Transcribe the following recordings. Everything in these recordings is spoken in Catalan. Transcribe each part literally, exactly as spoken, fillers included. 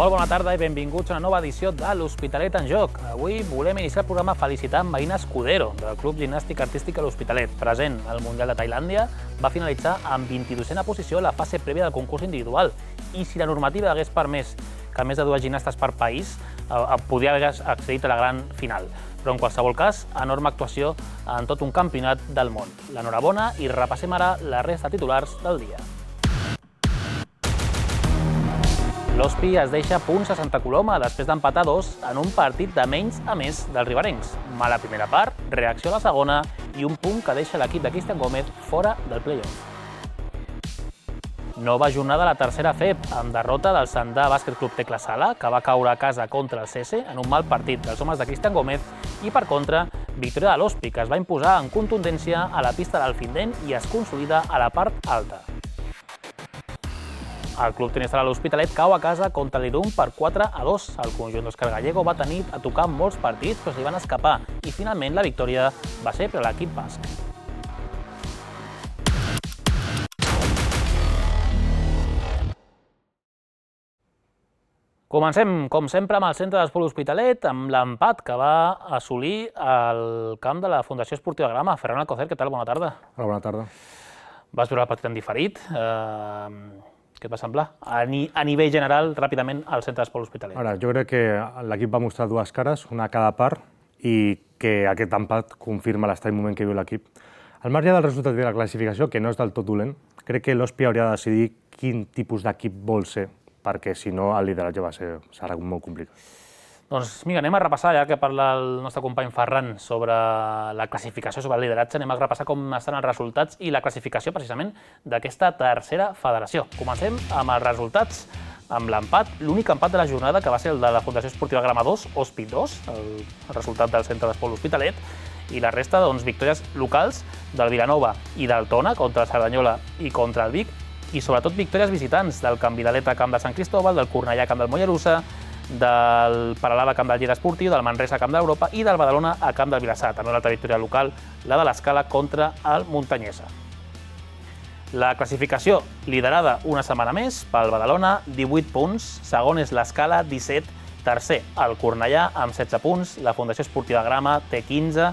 Molt bona tarda i benvinguts a una nova edició de l'Hospitalet en Joc. Avui volem iniciar el programa felicitant Marina Escudero, del Club Gimnàstic Artístic a l'Hospitalet. Present al Mundial de Tailàndia, va finalitzar amb vint-i-dosena posició a la fase prèvia del concurs individual. I si la normativa hagués permès que més de dues gimnastes per país, podria haver accedit a la gran final. Però en qualsevol cas, enorme actuació en tot un campionat del món. L'enhorabona i repassem ara la resta de titulars del dia. L'Hospi es deixa punts a Santa Coloma després d'empatar dos en un partit de menys a més dels riberencs. Mala primera part, reacció a la segona i un punt que deixa l'equip de Cristian Gómez fora del play-off. Nova jornada a la tercera F E P, amb derrota del Sandà Bàsquet Club Tecla Sala, que va caure a casa contra el C S en un mal partit dels homes de Cristian Gómez, i per contra, victòria de l'Hospi, que es va imposar en contundència a la pista d'Alfindent i es consolida a la part alta. El club tenista de l'Hospitalet cau a casa contra l'Irun per quatre a dos. El conjunt d'Òscar Gallego va tenir a tocar molts partits, però se li van escapar, i finalment la victòria va ser per a l'equip basc. Comencem, com sempre, amb el centre d'esport Hospitalet, amb l'empat que va assolir al camp de la Fundació Esportiva Grama. Ferran Alcocer, què tal? Bona tarda. Hola, bona tarda. Vas veure el partit en diferit. Què et va semblar? A nivell general, ràpidament, al centre d'esport Hospitalet. Ara, jo crec que l'equip va mostrar dues cares, una a cada part, i que aquest empat confirma l'estat i moment que viu l'equip. Al marge del resultat de la classificació, que no és del tot dolent, crec que l'Hospi hauria de decidir quin tipus d'equip vol ser, perquè si no el lideratge va ser, serà molt complicat. Doncs mira, anem a repassar, ja que parla el nostre company Ferran sobre la classificació, sobre el lideratge, anem a repassar com estan els resultats i la classificació precisament d'aquesta tercera federació. Comencem amb els resultats, amb l'empat, l'únic empat de la jornada que va ser el de la Fundació Esportiva Grama dos, Hospi dos, el resultat del centre d'esport Hospitalet, i la resta, doncs, victòries locals del Vilanova i del Tona contra el Cerdanyola i contra el Vic, i sobretot victòries visitants del Camp Vidalet a Camp de Sant Cristóbal, del Cornellà a Camp del Mollerussa, del Peralada a Camp del Lleida Esportiu, del Manresa a Camp d'Europa i del Badalona a Camp del Vilassar. També una altra victòria local, la de l'Escala contra el Muntanyesa. La classificació liderada una setmana més pel Badalona, divuit punts, segon és l'Escala, disset, tercer el Cornellà amb setze punts, la Fundació Esportiva Grama té quinze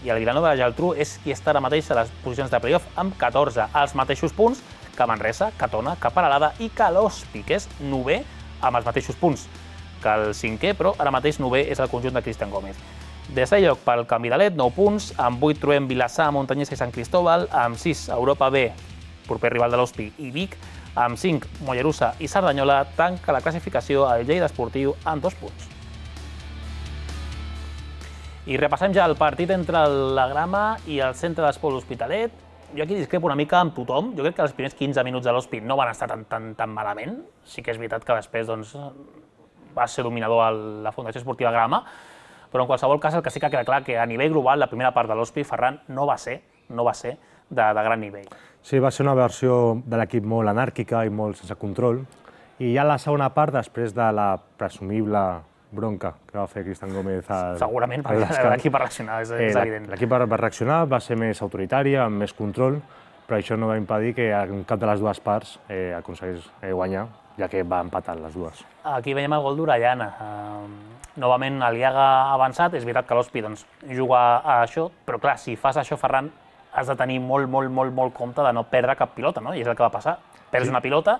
i el Vilanova de la Geltrú és qui està ara mateix a les posicions de playoff amb catorze, els mateixos punts que Manresa, que Tona, que Peralada i que l'Hospi, que és novè amb els mateixos punts que el cinquè, però ara mateix novè és el conjunt de Cristian Gómez. Desè lloc pel Camp Vidalet, nou punts, amb vuit trobem Vilassar, Muntanyesa i Sant Cristóbal, amb sis Europa B, proper rival de l'Hospi, i Vic, amb cinc Mollerussa i Cerdanyola, tanca la classificació al Lleida Esportiu amb dos punts. I repassem ja el partit entre la Grama i el centre d'esport Hospitalet. Jo aquí discrepo una mica amb tothom. Jo crec que els primers quinze minuts de l'Hospi no van estar tan, tan, tan malament. Sí que és veritat que després doncs, va ser dominador a la Fundació Esportiva Grama, però en qualsevol cas el que sí que queda clar que a nivell global la primera part de l'Hospi, Ferran, no va ser, no va ser de, de gran nivell. Sí, va ser una versió de l'equip molt anàrquica i molt sense control, i ja la segona part, després de la presumible bronca que va fer Cristian Gómez al... Segurament, perquè l'equip va reaccionar, és, és evident. L'equip va reaccionar, va ser més autoritària, amb més control, però això no va impedir que en cap de les dues parts eh, aconseguís eh, guanyar, ja que va empatar les dues. Aquí veiem el gol d'Orellana. Uh, novament l'Iaga ha avançat, és veritat que l'Hospi doncs, juga a això, però clar, si fas això, Ferran, has de tenir molt, molt, molt, molt compte de no perdre cap pilota, no? I és el que va passar. Perds sí. una pilota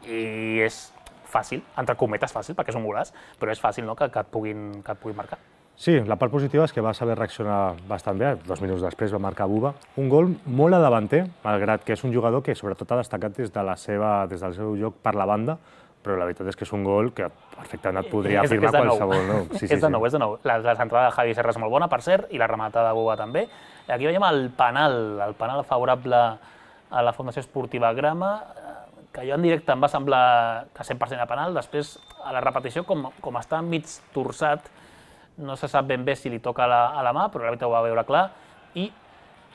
i és fàcil, entre cometes fàcil, perquè és un golaç, però és fàcil no? que, que, et puguin, que et puguin marcar. Sí, la part positiva és que va saber reaccionar bastant bé, dos minuts després va marcar Buba. Un gol molt a davanter, malgrat que és un jugador que sobretot ha destacat des, de la seva, des del seu joc per la banda, però la veritat és que és un gol que perfectament et podria és, afirmar és qualsevol. No? Sí, sí, és de nou, sí. és de nou. La, la centrada de Javi Serra és molt bona, per cert, i la rematada de Buba també. Aquí veiem el penal, el penal favorable a la Fundació Esportiva Grama, que jo en directe em va semblar que cent per cent a penal, després a la repetició, com, com està mig torçat, no se sap ben bé si li toca a la, a la mà, però l'àrbitre ho va veure clar i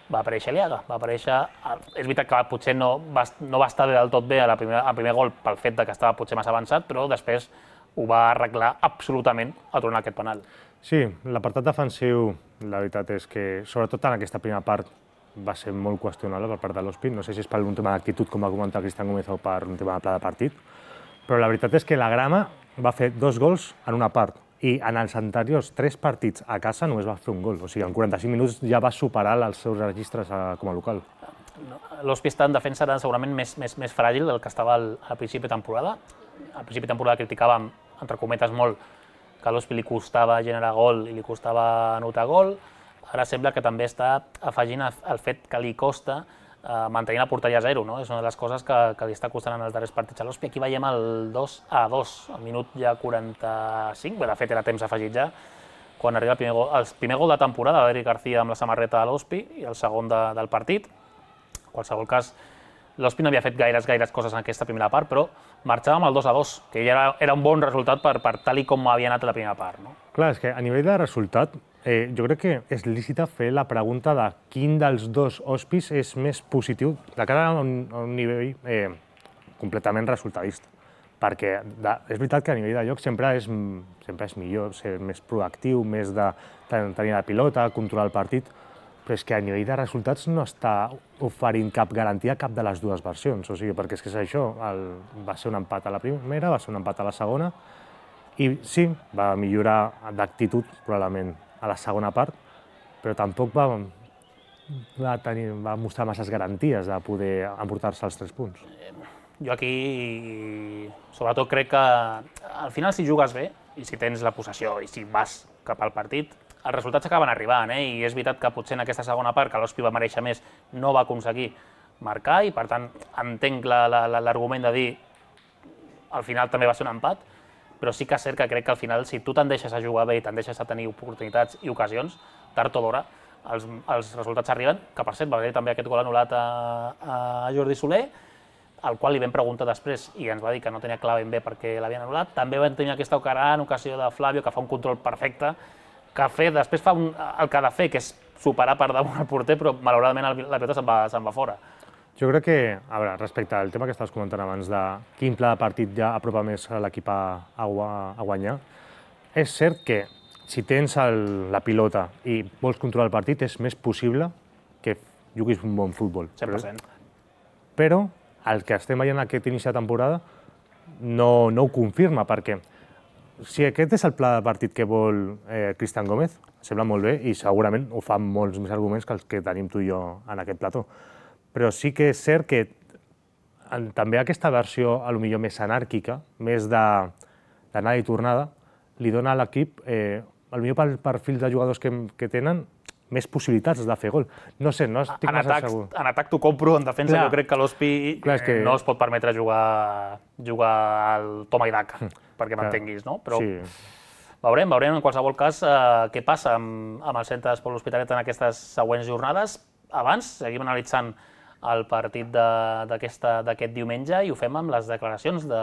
va aparèixer l'Iaga. Va aparèixer... És veritat que potser no va, no va estar del tot bé al primer, primer gol pel fet de que estava potser massa avançat, però després ho va arreglar absolutament a tornar aquest penal. Sí, l'apartat defensiu, la veritat és que, sobretot en aquesta primera part, va ser molt qüestionable per part de l'Hospi. No sé si és per un tema d'actitud, com va comentar Cristian Gómez, o per un tema de pla de partit, però la veritat és que la Grama va fer dos gols en una part i en els anteriors tres partits a casa només va fer un gol. O sigui, en quaranta-cinc minuts ja va superar els seus registres com a local. L'Hospi està en defensa segurament més, més, més fràgil del que estava al, al principi de temporada. Al principi de temporada criticàvem, entre cometes, molt que a l'Hospi li costava generar gol i li costava anotar gol. Ara sembla que també està afegint el fet que li costa eh, mantenir la porteria a zero, no? És una de les coses que, que li està costant en els darrers partits a l'Hospi. Aquí veiem el dos a dos, al minut ja quaranta-cinc, bé, de fet era temps afegit ja, quan arriba el primer gol, el primer gol de temporada d'Eric García amb la samarreta de l'Hospi i el segon de, del partit. En qualsevol cas, l'Hospi no havia fet gaires, gaires coses en aquesta primera part, però marxava amb el dos a dos, que ja era, era un bon resultat per, per tal i com havia anat la primera part. No? Clar, és que a nivell de resultat, eh, jo crec que és lícita fer la pregunta de quin dels dos Hospis és més positiu de cara a un, a un nivell eh, completament resultadista. Perquè de, és veritat que a nivell de joc sempre és, sempre és millor ser més proactiu, més de tenir la pilota, controlar el partit, però és que a nivell de resultats no està oferint cap garantia a cap de les dues versions. O sigui, perquè és que és això, el, va ser un empat a la primera, va ser un empat a la segona, i sí, va millorar d'actitud probablement a la segona part, però tampoc va, va, tenir, va mostrar masses garanties de poder emportar-se els tres punts. Jo aquí, sobretot, crec que al final si jugues bé, i si tens la possessió i si vas cap al partit, els resultats acaben arribant, eh? I és veritat que potser en aquesta segona part, que l'Hospi va mereixer més, no va aconseguir marcar i, per tant, entenc l'argument de dir al final també va ser un empat, però sí que és cert que crec que al final, si tu te'n deixes a jugar bé i te'n deixes a tenir oportunitats i ocasions, tard o d'hora, els, els resultats arriben, que per cert va haver també aquest gol anul·lat a, a Jordi Soler, al qual li vam preguntar després i ens va dir que no tenia clar ben bé perquè l'havien anul·lat. També vam tenir aquesta gran ocasió de Flavio, que fa un control perfecte, que fer, després fa un, el que ha de fer, que és superar per damunt el porter, però malauradament la pilota se'n va, se'n va fora. Jo crec que, a veure, respecte al tema que estaves comentant abans de quin pla de partit ja apropa més l'equip a, a, a guanyar, és cert que si tens el, la pilota i vols controlar el partit és més possible que juguis un bon futbol. cent per cent. Però el que estem veient aquest inici de temporada no, no ho confirma, perquè si aquest és el pla de partit que vol eh, Cristian Gómez, sembla molt bé i segurament ho fan molts més arguments que els que tenim tu i jo en aquest plató. Però sí que és cert que en, també aquesta versió a lo millor més anàrquica, més d'anada i tornada, li dona a l'equip, eh, a lo millor pel perfil de jugadors que, que tenen, més possibilitats de fer gol. No sé, no estic en massa atac, segur. En atac t'ho compro, en defensa Clar. Jo crec que l'Hospi que... no es pot permetre jugar, jugar al toma i daca, perquè m'entenguis, no? Però sí. veurem, veurem en qualsevol cas eh, què passa amb, amb el Centre d'Esport L'Hospitalet en aquestes següents jornades. Abans seguim analitzant el partit d'aquest diumenge i ho fem amb les declaracions de,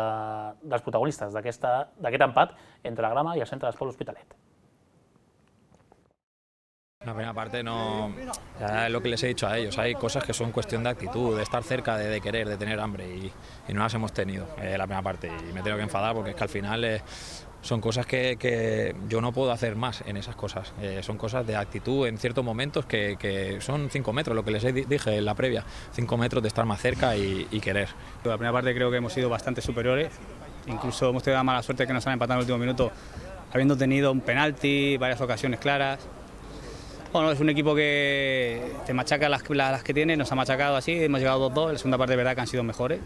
dels protagonistes d'aquest empat entre la Grama i el Centre d'Esport L'Hospitalet. La primera parte no, ya es lo que les he dicho a ellos, hay cosas que son cuestión de actitud, de estar cerca, de, de querer, de tener hambre y, y no las hemos tenido eh, la primera parte y me tengo que enfadar porque es que al final eh, son cosas que, que yo no puedo hacer más en esas cosas, eh, son cosas de actitud en ciertos momentos que, que son cinco metros, lo que les dije en la previa, cinco metros de estar más cerca y, y querer. La primera parte creo que hemos sido bastante superiores, incluso hemos tenido la mala suerte que nos han empatado en el último minuto habiendo tenido un penalti, varias ocasiones claras. Bueno, es un equipo que te machaca las, las que tiene, nos ha machacado así, hemos llegado dos dos, en la segunda parte de verdad que han sido mejores.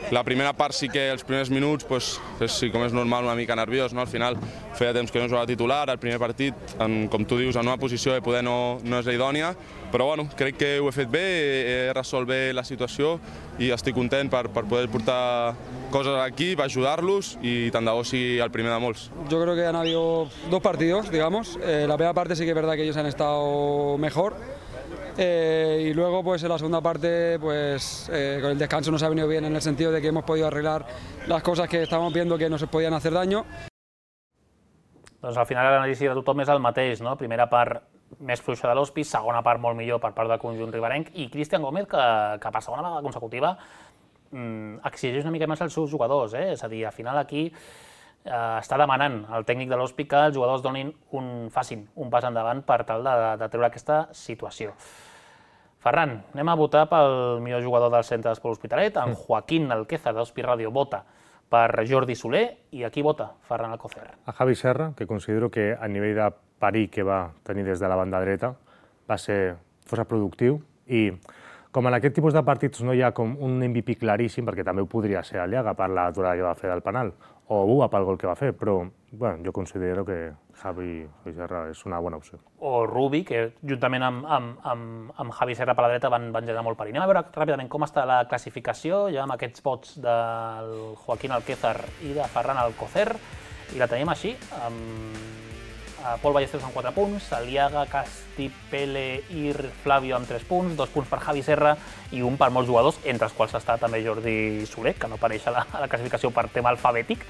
La primera part sí que els primers minuts, pues, és, sí, com és normal, una mica nerviós, no? Al final feia temps que no jugava titular, el primer partit, en, com tu dius, en una posició de poder no, no és la idònia, però bueno, crec que ho he fet bé, he resolt bé la situació i estic content per, per poder portar cosas a l'equip, ayudarlos y tant de bo sigui el primer de molts. Yo creo que han habido dos partidos, digamos. Eh, la primera parte sí que es verdad que ellos han estado mejor eh, y luego pues en la segunda parte pues eh, con el descanso nos ha venido bien en el sentido de que hemos podido arreglar las cosas que estábamos viendo que nos podían hacer daño. Doncs al final l'anàlisi de tothom és el mateix, no? Primera part més fluixa de l'Hospi, segona part molt millor per part del conjunt riberenc i Cristian Gómez que, que per segona vegada consecutiva exigeix una mica més als seus jugadors, eh? És a dir, al final aquí eh, està demanant al tècnic de l'Hospi que els jugadors donin un, facin un pas endavant per tal de, de treure aquesta situació. Ferran, anem a votar pel millor jugador del Centre d'Esport L'Hospitalet. En Joaquín Alquézar d'Hospi Ràdio vota per Jordi Soler, i a qui vota Ferran Alcocer? A Javi Serra, que considero que a nivell de parir que va tenir des de la banda dreta va ser força productiu, i com en aquest tipus de partits no hi ha com un M V P claríssim, perquè també ho podria ser Aliaga per l'aturada que va fer del penal, o Bua pel gol que va fer, però bueno, jo considero que Javi Serra és una bona opció. O Rubi, que juntament amb, amb, amb, amb Javi Serra per la dreta van, van generar molt perill. Anem a veure ràpidament com està la classificació, ja amb aquests vots del Joaquín Alquézar i de Ferran Alcocer, i la tenim així, amb Pol Ballesteros amb quatre punts, Aliaga, Casti, Pele i Flavio amb tres punts, dos punts per Javi Serra i un per molts jugadors, entre els quals està també Jordi Soler, que no apareix a la, a la classificació per tema alfabètic.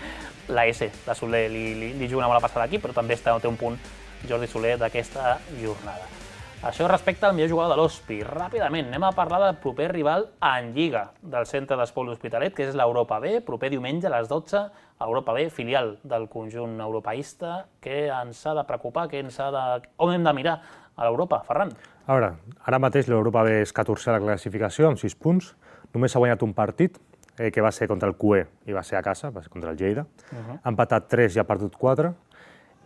La S de Soler li, li, li juga una mala passada aquí, però també està, té un punt Jordi Soler d'aquesta jornada. Això respecte al millor jugador de l'O S P I. Ràpidament, anem a parlar del proper rival en Lliga del Centre d'Esports L'Hospitalet, que és l'Europa B, proper diumenge a les dotze, Europa B, filial del conjunt europeista. Què ens ha de preocupar? Què ens ha de... On hem de mirar a l'Europa, Ferran? A veure, ara mateix l'Europa B és catorzè a la classificació, amb sis punts. Només ha guanyat un partit, eh, que va ser contra el Q E i va ser a casa, va ser contra el Lleida. Uh-huh. Ha empatat tres i ha perdut quatre.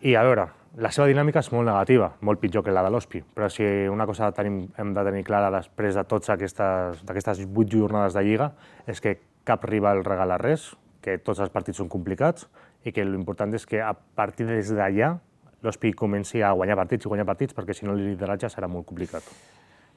I a veure, la seva dinàmica és molt negativa, molt pitjor que la de l'O S P I, però si una cosa tenim, hem de tenir clara després de totes aquestes, d'aquestes vuit jornades de Lliga és que cap rival regala res, que tots els partits són complicats i que l'important és que a partir des d'allà l'O S P I comenci a guanyar partits i guanyar partits, perquè si no el lideratge serà molt complicat.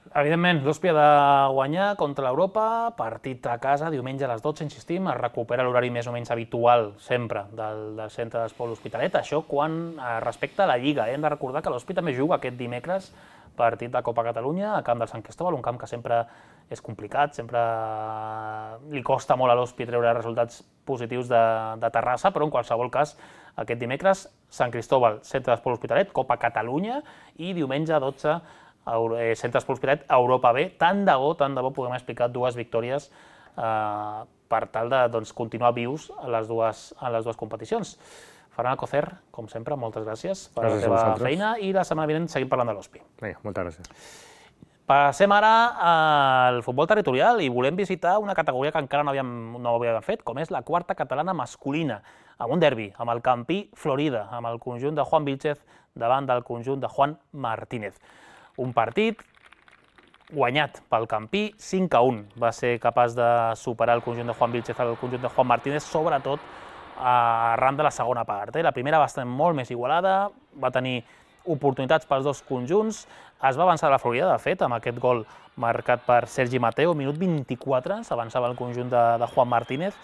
Evidentment, l'O S P I ha de guanyar contra l'Europa, partit a casa, diumenge a les dotze, insistim, es recupera l'horari més o menys habitual sempre del, del Centre d'Esports L'Hospitalet. Això quan respecta a la Lliga. Hem de recordar que l'O S P I també juga aquest dimecres partit de Copa Catalunya a camp del Sant Cristóbal, un camp que sempre és complicat, sempre li costa molt a l'O S P I treure resultats positius de, de Terrassa, però en qualsevol cas, aquest dimecres, Sant Cristóbal, Centre d'Esports L'Hospitalet, Copa Catalunya, i diumenge a dotze, Centre d'Esports L'Hospitalet, Europa B. Tant de bo, tant de bo puguem explicar dues victòries eh, per tal de doncs, continuar vius a les dues, a les dues competicions. Ferran Alcocer, com sempre, moltes gràcies per gràcies la teva feina, i la setmana vinent seguim parlant de l'O S P I. Vinga, moltes gràcies. Passem ara al futbol territorial i volem visitar una categoria que encara no havíem, no havíem fet, com és la quarta catalana masculina, amb un derbi, amb el Campí Florida, amb el conjunt de Juan Vilchez davant del conjunt de Juan Martínez. Un partit guanyat pel Campí, cinc a un. Va ser capaç de superar el conjunt de Juan Vilchez al conjunt de Juan Martínez, sobretot arran de la segona part. La primera va estar molt més igualada, va tenir oportunitats pels dos conjunts, es va avançar a la Florida, de fet, amb aquest gol marcat per Sergi Mateo, minut vint-i-quatre, s'avançava el conjunt de, de Juan Martínez.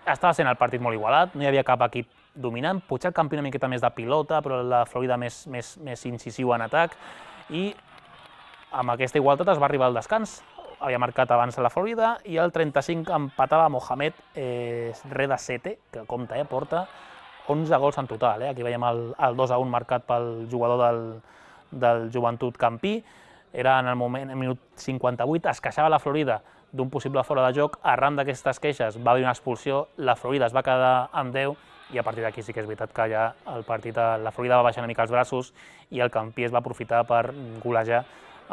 Estava sent el partit molt igualat, no hi havia cap equip dominant, potser el Campí una miqueta més de pilota, però la Florida més, més, més incisiu en atac, i amb aquesta igualtat es va arribar al descans. Havia marcat abans la Florida i el trenta-cinc empatava Mohamed eh, Reda Sete, que compta, eh, porta onze gols en total. Eh? Aquí veiem el, el dos a un marcat pel jugador del, del Joventut Campí. Era en el moment, en minut cinquanta-vuit, es queixava la Florida d'un possible fora de joc. Arran d'aquestes queixes va haver una expulsió, la Florida es va quedar amb deu i a partir d'aquí sí que és veritat que ja el partit, la Florida va baixar una mica els braços i el Campí es va aprofitar per golejar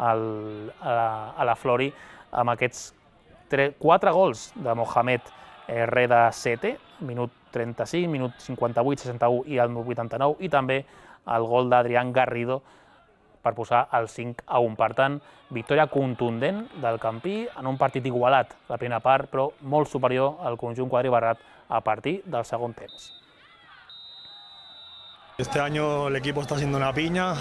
el, a, la, a la Flori amb aquests quatre gols de Mohamed eh, Reda Sete, minut trenta-cinc, minut cinquanta-vuit, seixanta-u i el vuitanta-nou, i també el gol d'Adrián Garrido per posar el cinc a un. Per tant, victòria contundent del Campí en un partit igualat la primera part, però molt superior al conjunt quadribarrat a partir del segon temps. Este año el equipo está haciendo una piña,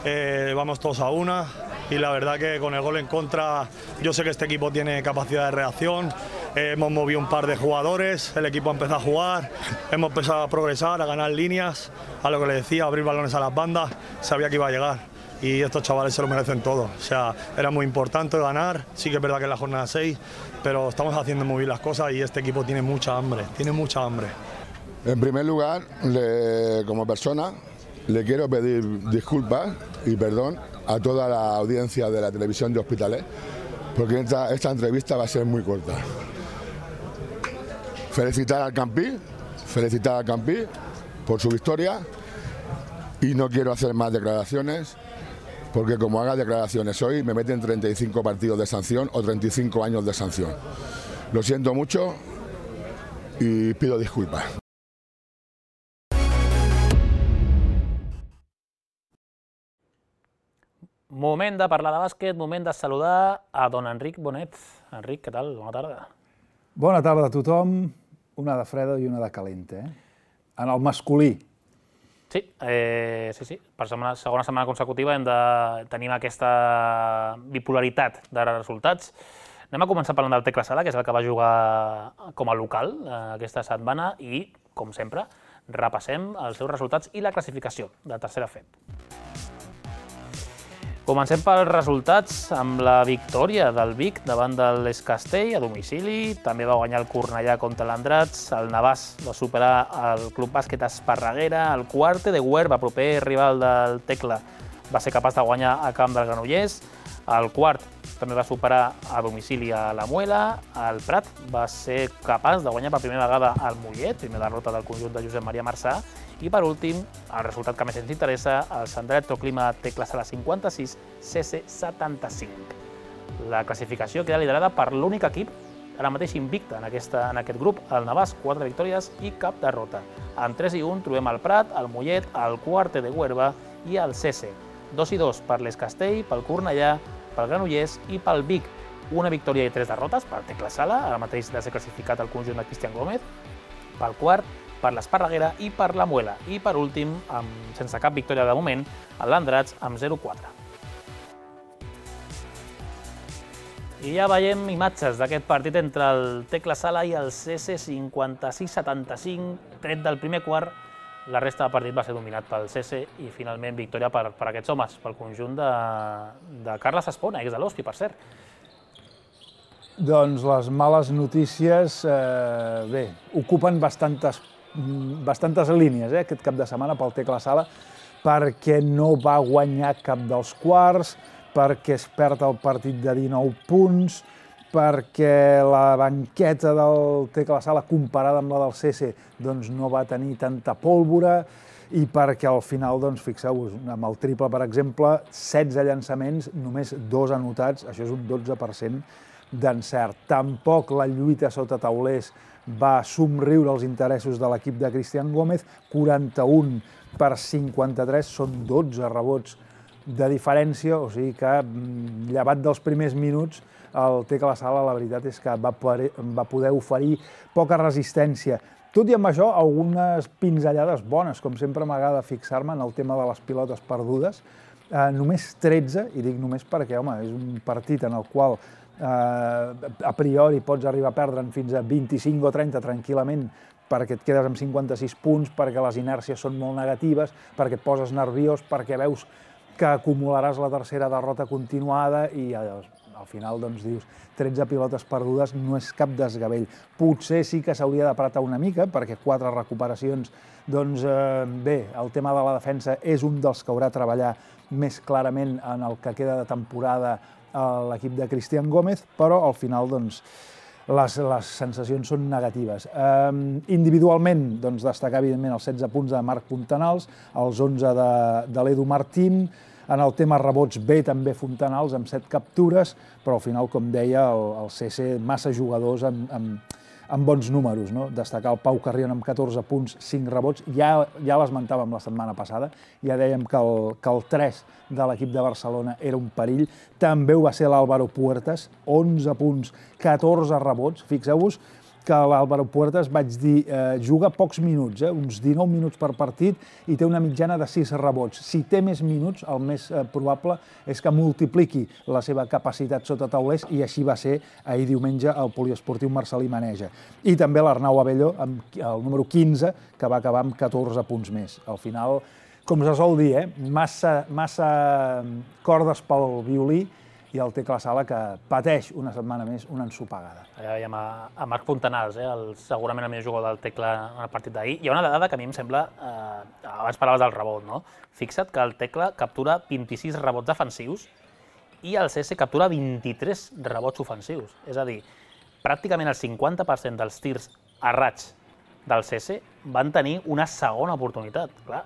eh, vamos todos a una y la verdad que con el gol en contra yo sé que este equipo tiene capacidad de reacción, eh, hemos movido un par de jugadores, el equipo ha empezado a jugar, hemos empezado a progresar, a ganar líneas, a lo que le decía, a abrir balones a las bandas, sabía que iba a llegar y estos chavales se lo merecen todo, o sea, era muy importante ganar, sí que es verdad que es la jornada seis, pero estamos haciendo muy bien las cosas y este equipo tiene mucha hambre, tiene mucha hambre. En primer lugar, le, como persona, le quiero pedir disculpas y perdón a toda la audiencia de la televisión de Hospitalet, porque esta, esta entrevista va a ser muy corta. Felicitar al Campí, felicitar al Campí por su victoria y no quiero hacer más declaraciones, porque como haga declaraciones hoy me meten treinta y cinco partidos de sanción o treinta y cinco años de sanción. Lo siento mucho. y pido disculpas. Moment de parlar de bàsquet, moment de saludar a don Enric Bonet. Enric, què tal? Bona tarda. Bona tarda a tothom. Una de freda i una de calenta, eh? En el masculí. Sí, eh, sí, sí. Per segona, segona setmana consecutiva hem de tenir aquesta bipolaritat de resultats. Anem a començar parlant del Tecla Sala, que és el que va jugar com a local aquesta setmana i, com sempre, repassem els seus resultats i la classificació de tercera F E P. Comencem pels resultats amb la victòria del Vic davant de l'Es Castell a domicili. També va guanyar el Cornellà contra l'Andratx, el Navàs va superar el Club Bàsquet Esparreguera, el Quarte de Huerva, proper rival del Tecla, va ser capaç de guanyar a camp del Granollers, el Quart també va superar a domicili a la Muela, el Prat va ser capaç de guanyar per primera vegada al Mollet, primera derrota del conjunt de Josep Maria Marçà, i per últim, el resultat que més ens interessa, el Sant Electroclima Tecla Sala cinquanta-sis, C C setanta-cinc. La classificació queda liderada per l'únic equip ara mateix invicte en, aquesta, en aquest grup, el Navàs, quatre victòries i cap derrota. En tres i un trobem el Prat, el Mollet, el Quarte de Huerva i el C C. dos i dos per l'Es Castell, pel Cornellà, pel Granollers i pel Vic. Una victòria i tres derrotes per Tecla Sala, ara mateix de ser classificat el conjunt de Cristian Gómez, pel Quart, per l'Esparreguera i per la Muela. I per últim, amb, sense cap victòria de moment, l'Andratx amb zero quatre. I ja veiem imatges d'aquest partit entre el Tecla Sala i el C C cinquanta-sis setanta-cinc, tret del primer quart. La resta del partit va ser dominat pel C C i finalment victòria per, per aquests homes, pel conjunt de, de Carles Espona, ex de l'Hospi, per cert. Doncs les males notícies, eh, bé, ocupen bastantes, bastantes línies eh, aquest cap de setmana pel Tecla Sala, perquè no va guanyar cap dels quarts, perquè es perd el partit de dinou punts, perquè la banqueta del Tecla Sala comparada amb la del C C doncs no va tenir tanta pólvora i perquè al final, doncs, fixeu-vos, amb el triple, per exemple, setze llançaments, només dos anotats, això és un dotze per cent d'encert. Tampoc la lluita sota taulers va somriure els interessos de l'equip de Cristian Gómez, quaranta-un per cinquanta-tres, són dotze rebots de diferència, o sigui que, llevat dels primers minuts, el Tecla Sala, la veritat és que va poder oferir poca resistència. Tot i amb això, algunes pinzellades bones, com sempre m'agrada fixar-me en el tema de les pilotes perdudes. Només tretze, i dic només perquè, home, és un partit en el qual a priori pots arribar a perdre'n fins a vint-i-cinc o trenta tranquil·lament, perquè et quedes amb cinquanta-sis punts, perquè les inèrcies són molt negatives, perquè et poses nerviós, perquè veus que acumularàs la tercera derrota continuada i al final doncs dius tretze pilotes perdudes no és cap desgavell. Potser sí que s'hauria d'apretar una mica, perquè quatre recuperacions, doncs bé, el tema de la defensa és un dels que haurà de treballar més clarament en el que queda de temporada a l'equip de Cristian Gómez, però al final doncs les, les sensacions són negatives. Eh, individualment, doncs, destacar evidentment els setze punts de Marc Fontanals, els onze de, de l'Edu Martín. En el tema rebots bé també Fontanals amb set captures, però al final, com deia, el, el C C massa jugadors amb, amb, amb bons números, no? Destacar el Pau Carrion amb catorze punts, cinc rebots, ja, ja l'esmentàvem la setmana passada, ja dèiem que el, que el tres de l'equip de Barcelona era un perill, també ho va ser l'Álvaro Puertas, onze punts, catorze rebots, fixeu-vos que l'Álvaro Puertas, vaig dir, eh, juga pocs minuts, eh, uns dinou minuts per partit i té una mitjana de sis rebots. Si té més minuts, el més eh, probable és que multipliqui la seva capacitat sota taulers i així va ser ahir diumenge al poliesportiu Marcelí Maneja. I també l'Arnau Abelló, amb el número quinze, que va acabar amb catorze punts més. Al final, com se sol dir, eh, massa, massa cordes pel violí, i el Tecla Sala que pateix una setmana més una ensopegada. Allà veiem a, a Marc Fontanals, eh, el, segurament el millor jugador del Tecla en el partit d'ahir. Hi ha una dada que a mi em sembla, eh, abans parlaves del rebot, no? Fixa't que el Tecla captura vint-i-sis rebots defensius i el C S captura vint-i-tres rebots ofensius. És a dir, pràcticament el cinquanta per cent dels tirs errats del C S van tenir una segona oportunitat. Clar,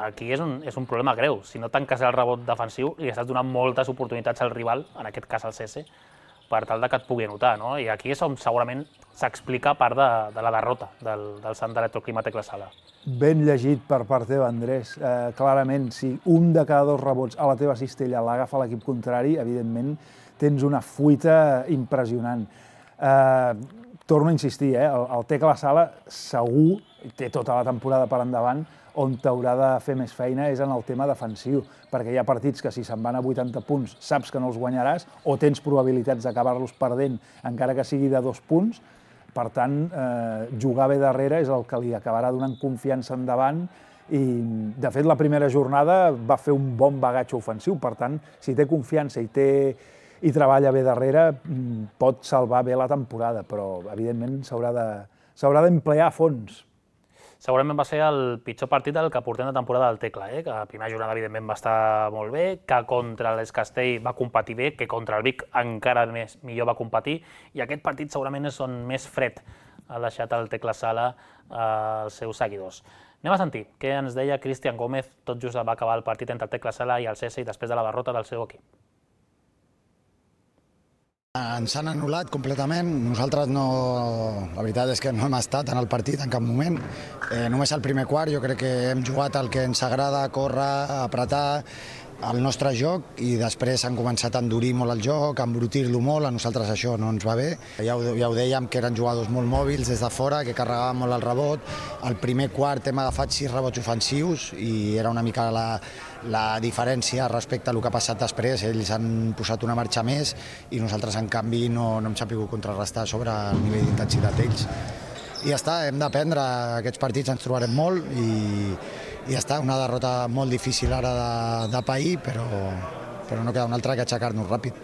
aquí és un, és un problema greu. Si no tanques el rebot defensiu, li estàs donant moltes oportunitats al rival, en aquest cas al C S, per tal que et pugui anotar, no? I aquí és on segurament s'explica part de, de la derrota del, del Sant Electroclima Tecla Sala. Ben llegit per part teva, Andrés. Eh, clarament, si un de cada dos rebots a la teva cistella l'agafa l'equip contrari, evidentment tens una fuita impressionant. Eh, torno a insistir, eh, el, el Tecla Sala segur, té tota la temporada per endavant, on t'haurà de fer més feina és en el tema defensiu, perquè hi ha partits que si se'n van a vuitanta punts saps que no els guanyaràs o tens probabilitats d'acabar-los perdent encara que sigui de dos punts. Per tant, eh, jugar bé darrere és el que li acabarà donant confiança endavant i, de fet, la primera jornada va fer un bon bagatge ofensiu. Per tant, si té confiança i, té, i treballa bé darrere, pot salvar bé la temporada, però, evidentment, s'haurà de, s'haurà d'emplear a fons. Segurament va ser el pitjor partit del que portem de temporada del Tecla, eh? Que la primera jornada, evidentment, va estar molt bé, que contra l'Es Castell va competir bé, que contra el Vic encara més millor va competir, i aquest partit segurament és on més fred ha deixat el Tecla Sala als seus seguidors. Anem a sentir què ens deia Cristian Gómez tot just va acabar el partit entre el Tecla Sala i el C S i després de la derrota del seu equip. Ens han anul·lat completament, nosaltres no, la veritat és que no hem estat en el partit en cap moment, eh, només al primer quart jo crec que hem jugat el que ens agrada, córrer, apretar el nostre joc i després han començat a endurir molt el joc, a embrutir-lo molt, a nosaltres això no ens va bé. Ja ho, ja ho dèiem que eren jugadors molt mòbils des de fora, que carregaven molt el rebot, al primer quart hem agafat sis rebots ofensius i era una mica la, la diferència respecte a el que ha passat després, ells han posat una marxa més i nosaltres en canvi no, no hem sabut contrarrestar sobre el nivell d'intensitat d'ells. I ja està, hem d'aprendre, aquests partits ens trobarem molt i, i ja està, una derrota molt difícil ara de, de pair, però, però no queda una altra que aixecar-nos ràpid.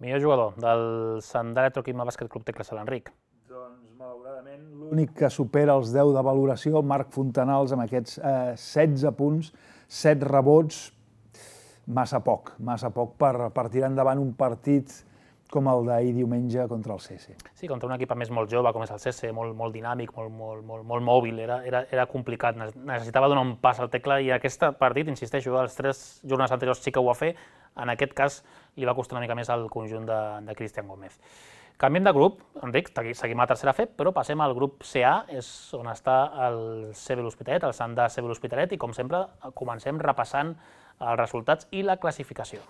Millor jugador del Sant Electroclima Bàsquet Club Tecla Sala, Enric. Doncs, malauradament, l'únic que supera els deu de valoració, Marc Fontanals, amb aquests eh, setze punts, set rebots, massa poc, massa poc per, per tirar endavant un partit com el d'ahir diumenge contra el C S. Sí, contra un equip més molt jove, com és el C S, molt, molt dinàmic, molt, molt, molt, molt mòbil, era, era, era complicat, necessitava donar un pas al Tecla i aquest partit, insisteixo, els tres jornades anteriors sí que ho va fer, en aquest cas li va costar una mica més al conjunt de, de Cristian Gómez. Canviem de grup, Enric, seguim a la tercera F E P, però passem al grup C A, és on està el C B l'Hospitalet, el Sant de C B l'Hospitalet, i com sempre comencem repassant els resultats i la classificació.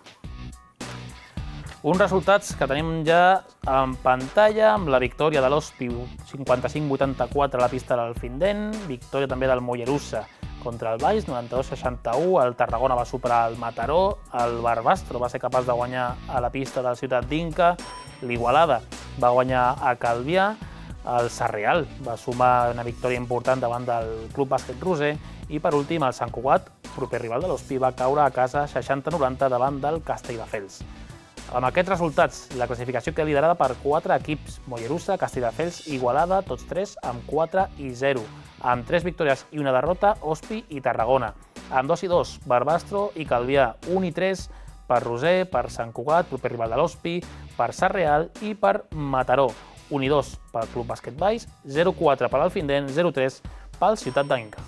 Uns resultats que tenim ja en pantalla, amb la victòria de l'Hospi cinquanta-cinc vuitanta-quatre a la pista del Findent, victòria també del Mollerussa contra el Valls, noranta-dos seixanta-u, el Tarragona va superar el Mataró, el Barbastro va ser capaç de guanyar a la pista del Ciutat d'Inca, l'Igualada va guanyar a Calvià, el Sarrial va sumar una victòria important davant del Club Bàsquet Roser i per últim el Sant Cugat, proper rival de l'Hospi, va caure a casa seixanta noranta davant del Castelldefels. Amb aquests resultats, la classificació queda liderada per quatre equips, Mollerussa, Castelldefels i Igualada, tots tres amb quatre i zero. Amb tres victòries i una derrota, Hospi i Tarragona. Amb dos i dos, Barbastro i Calvià, un i tres per Roser, per Sant Cugat, proper rival de l'Hospi, per Sarrial i per Mataró. un i dos pel Club Bàsquet Valls, zero quatre per l'Alfindent, zero tres pel Ciutat d'Inca.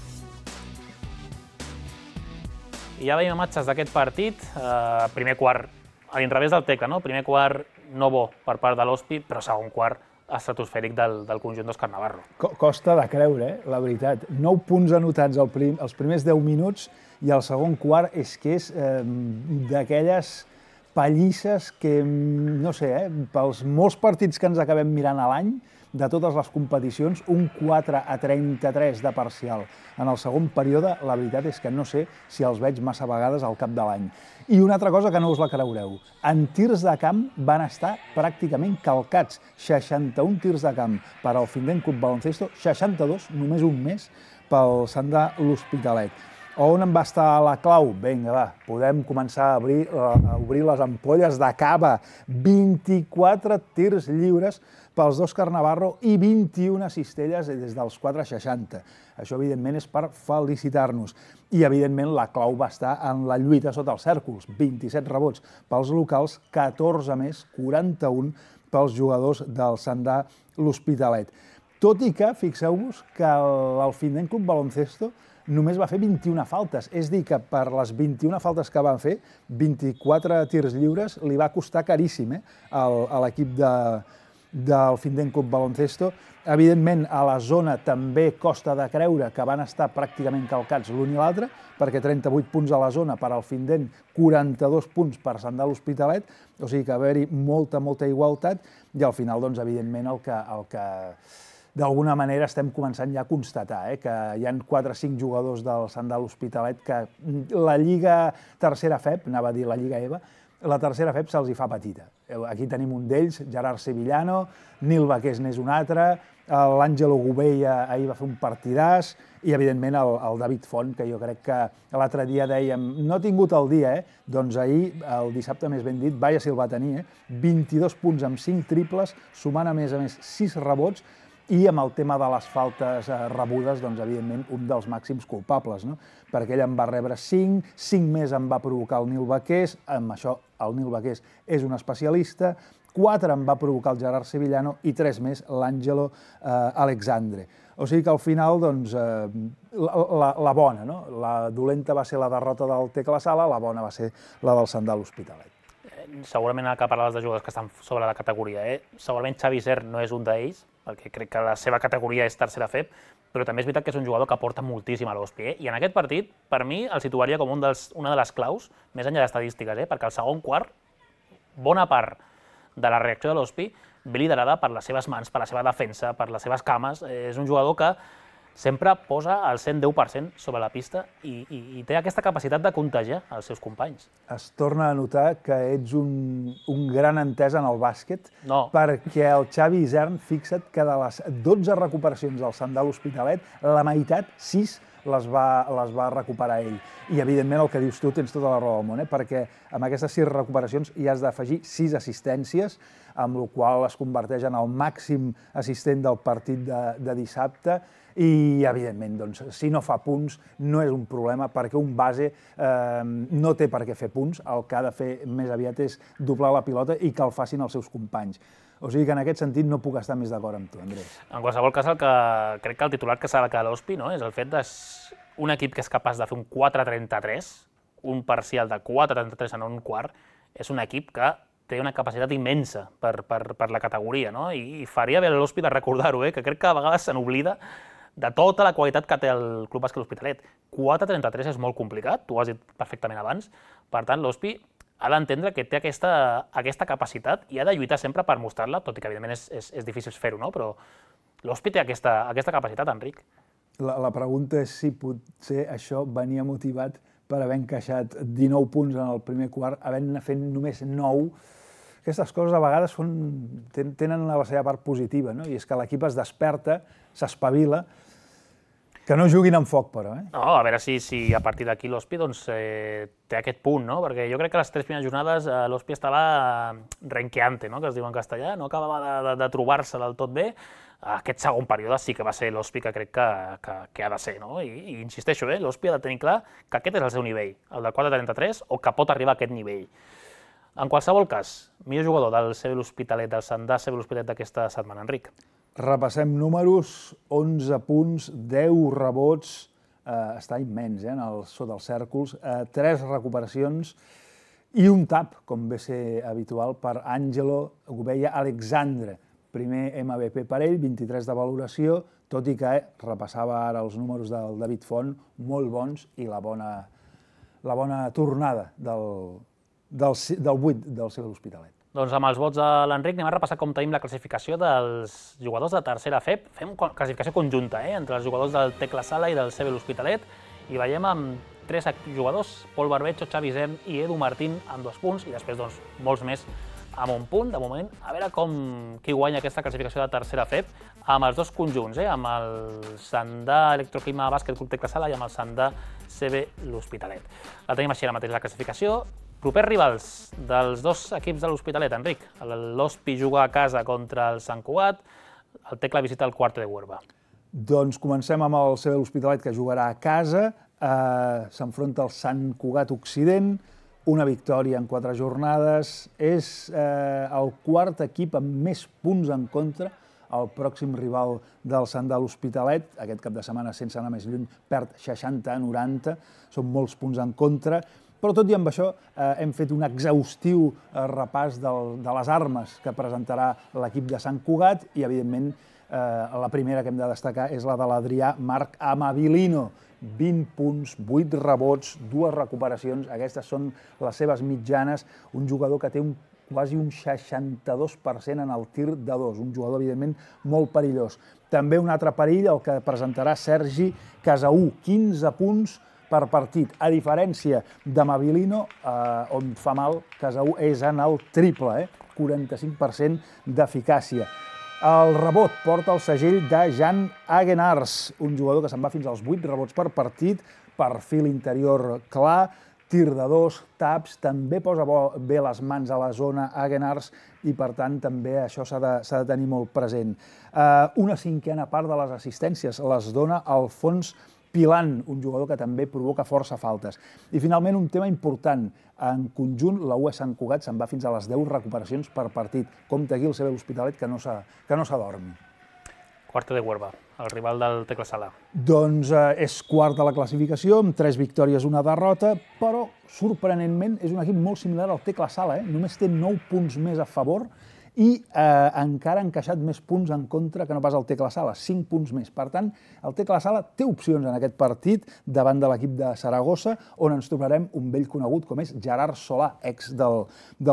I ja veiem imatges d'aquest partit, eh, primer quart a l'inrevés del Tecla, no? Primer quart no bo per part de l'Hospi, però segon quart estratosfèric del, del conjunt d'Òscar Navarro. Costa de creure, eh? La veritat. nou punts anotats al prim, els primers deu minuts i el segon quart és que és eh, d'aquelles pallisses que, no sé, eh, pels molts partits que ens acabem mirant a l'any, de totes les competicions, un quatre a trenta-tres de parcial. En el segon període, la veritat és que no sé si els veig massa vegades al cap de l'any. I una altra cosa que no us la creureu, en tirs de camp van estar pràcticament calcats, seixanta-un tirs de camp per al Findent Club Baloncesto, seixanta-dos, només un mes, pel Sant de l'Hospitalet. On en va estar la clau? Vinga, va, podem començar a obrir, a obrir les ampolles de cava. vint-i-quatre tirs lliures pels d'Òscar Navarro i vint-i-una cistelles des dels quatre seixanta. Això, evidentment, és per felicitar-nos. I, evidentment, la clau va estar en la lluita sota els cèrcols. vint-i-set rebots pels locals, catorze més, quaranta-un pels jugadors del Sant de l'Hospitalet. Tot i que, fixeu-vos, que l'Alfindent Club Baloncesto només va fer vint-i-una faltes. És dir, que per les vint-i-una faltes que van fer, vint-i-quatre tirs lliures li va costar caríssim eh, a l'equip de, del Finden Club Baloncesto. Evidentment, a la zona també costa de creure que van estar pràcticament calcats l'un i l'altre, perquè trenta-vuit punts a la zona per al Finden, quaranta-dos punts per Sandà l'Hospitalet, o sigui que va haver-hi molta, molta igualtat, i al final, doncs, evidentment, el que, el que d'alguna manera estem començant ja a constatar, eh, que hi ha quatre o cinc jugadors del Sandà l'Hospitalet que la Lliga Tercera F E P, anava a dir la Lliga EVA, la tercera F E P se'ls hi fa petita. Aquí tenim un d'ells, Gerard Sevillano, Nil Baqués n'és un altre, l'Àngelo Gubella ahir va fer un partidàs, i evidentment el, el David Font, que jo crec que l'altre dia dèiem, no ha tingut el dia, eh? Doncs ahir, el dissabte més ben dit, vaja si el va tenir, eh? vint-i-dos punts amb cinc triples, sumant a més a més sis rebots, i amb el tema de les faltes rebudes, doncs, evidentment, un dels màxims culpables, no? Perquè ell en va rebre cinc, cinc més en va provocar el Nil Baqués, amb això el Nil Baqués és un especialista, quatre en va provocar el Gerard Sevillano i tres més l'Àngelo eh, Alexandre. O sigui que al final, doncs, eh, la, la, la bona, no? La dolenta va ser la derrota del Tecla Sala, la bona va ser la del Sandà l'Hospitalet. Segurament que parlaves de jugadors que estan sobre la categoria, eh? Segurament Xavi Isern no és un d'ells, perquè crec que la seva categoria és tercera F E P, però també és veritat que és un jugador que aporta moltíssim a l'Hospi, eh? I en aquest partit, per mi, el situaria com un dels, una de les claus, més enllà d'estadístiques, eh? Perquè al segon quart, bona part de la reacció de l'Hospi ve liderada per les seves mans, per la seva defensa, per les seves cames. És un jugador que sempre posa el cent deu per cent sobre la pista i, i, i té aquesta capacitat de contagiar els seus companys. Es torna a notar que ets un, un gran entès en el bàsquet, no. Perquè el Xavi Isern, fixa't que de les dotze recuperacions del Sandà l'Hospitalet, la meitat, sis, les va, les va recuperar ell. I, evidentment, el que dius tu, tens tota la raó del món, eh? Perquè amb aquestes sis recuperacions hi has d'afegir sis assistències, amb la qual es converteix en el màxim assistent del partit de, de dissabte, i, evidentment, doncs, si no fa punts, no és un problema, perquè un base eh, no té per què fer punts, el que ha de fer més aviat és doblar la pilota i que el facin els seus companys. O sigui que en aquest sentit no puc estar més d'acord amb tu, Andrés. En qualsevol cas, el que crec que el titular que s'ha de quedar a l'Hospi, no? És el fet d'un equip que és capaç de fer un quatre trenta-tres, un parcial de quatre trenta-tres en un quart, és un equip que té una capacitat immensa per, per, per la categoria, no? I, i faria bé a l'Hospi de recordar-ho, eh? Que crec que a vegades se n'oblida de tota la qualitat que té el Club Bàsquet L'Hospitalet. quatre trenta-tres és molt complicat, tu ho has dit perfectament abans, per tant l'Hospi ha d'entendre que té aquesta, aquesta capacitat i ha de lluitar sempre per mostrar-la, tot i que evidentment és, és, és difícil fer-ho, no? Però l'Hospi té aquesta, aquesta capacitat, Enric. La, la pregunta és si potser això venia motivat per haver encaixat dinou punts en el primer quart, havent-ne fet només nou. Aquestes coses a vegades són, tenen la seva part positiva, no? I és que l'equip es desperta, s'espavila. Que no juguin amb foc, però, eh? No, a veure si, si a partir d'aquí l'Hospi doncs, eh, té aquest punt, no? Perquè jo crec que les tres primeres jornades eh, l'Hospi estava renqueante, no? Que es diu en castellà, no acabava de, de, de trobar-se del tot bé. Aquest segon període sí que va ser l'Hospi que crec que, que, que ha de ser, no? I, i insisteixo, eh? L'Hospi ha de tenir clar que aquest és el seu nivell, el del quatre trenta-tres, o que pot arribar a aquest nivell. En qualsevol cas, millor jugador del C B L'Hospitalet, del Sandà C B L'Hospitalet d'aquesta setmana, Enric. Repassem números, onze punts, deu rebots, eh, està immens, eh, en el, sota els cèrcols, eh, tres recuperacions i un tap, com ve ser habitual, per Àngelo Gubella Alexandre. Primer M V P per ell, vint-i-tres de valoració, tot i que eh, repassava ara els números del David Font, molt bons, i la bona, la bona tornada del, del, del vuit del C B L'Hospitalet. Doncs amb els vots de l'Enric anem a repassar com tenim la classificació dels jugadors de tercera F E P. Fem classificació conjunta, eh, entre els jugadors del Tecla Sala i del C B L'Hospitalet, i veiem amb tres jugadors, Pol Barbecho, Xavi Isern i Edu Martín amb dos punts, i després doncs, molts més amb un punt, de moment. A veure com qui guanya aquesta classificació de tercera F E P amb els dos conjunts, eh, amb el Sandà Electroclima Bàsquet Club Tecla Sala i amb el Sandà C B L'Hospitalet. La tenim així ara mateix la classificació. Propers rivals dels dos equips de l'Hospitalet, Enric. L'Hospi juga a casa contra el Sant Cugat, el Tecla visita el Cuarto de Huerva. Doncs comencem amb el C B L'Hospitalet, que jugarà a casa. Eh, S'enfronta al Sant Cugat Occident, una victòria en quatre jornades. És eh, el quart equip amb més punts en contra el pròxim rival del Sant de l'Hospitalet. Aquest cap de setmana, sense anar més lluny, perd seixanta a noranta, són molts punts en contra, però tot i amb això hem fet un exhaustiu repàs de les armes que presentarà l'equip de Sant Cugat i, evidentment, la primera que hem de destacar és la de l'Adrià Marc Amabilino. vint punts, vuit rebots, dues recuperacions, aquestes són les seves mitjanes. Un jugador que té un, quasi un seixanta-dos per cent en el tir de dos, un jugador, evidentment, molt perillós. També un altre perill, el que presentarà Sergi Casaú, quinze punts per partit. A diferència d'Amabilino, eh, on fa mal Casaú és en el triple, eh? quaranta-cinc per cent d'eficàcia. El rebot porta el segell de Jan Hagenars, un jugador que se'n va fins als vuit rebots per partit, perfil interior clar, tir de dos, taps, també posa bé les mans a la zona Hagenars i, per tant, també això s'ha de, s'ha de tenir molt present. Una cinquena part de les assistències les dona Alfons Pilant, un jugador que també provoca força faltes. I, finalment, un tema important. En conjunt, la U E Sant Cugat se'n va fins a les deu recuperacions per partit. Compte aquí el C B l'Hospitalet, que no s'adormi. Quarta de Huerva, el rival del Tecla Sala. Doncs és quart de la classificació, amb tres victòries, una derrota, però, sorprenentment, és un equip molt similar al Tecla Sala. Només té nou punts més a favor i encara ha encaixat més punts en contra que no pas el Tecla Sala, cinc punts més. Per tant, el Tecla Sala té opcions en aquest partit davant de l'equip de Saragossa, on ens trobarem un vell conegut com és Gerard Solà, ex del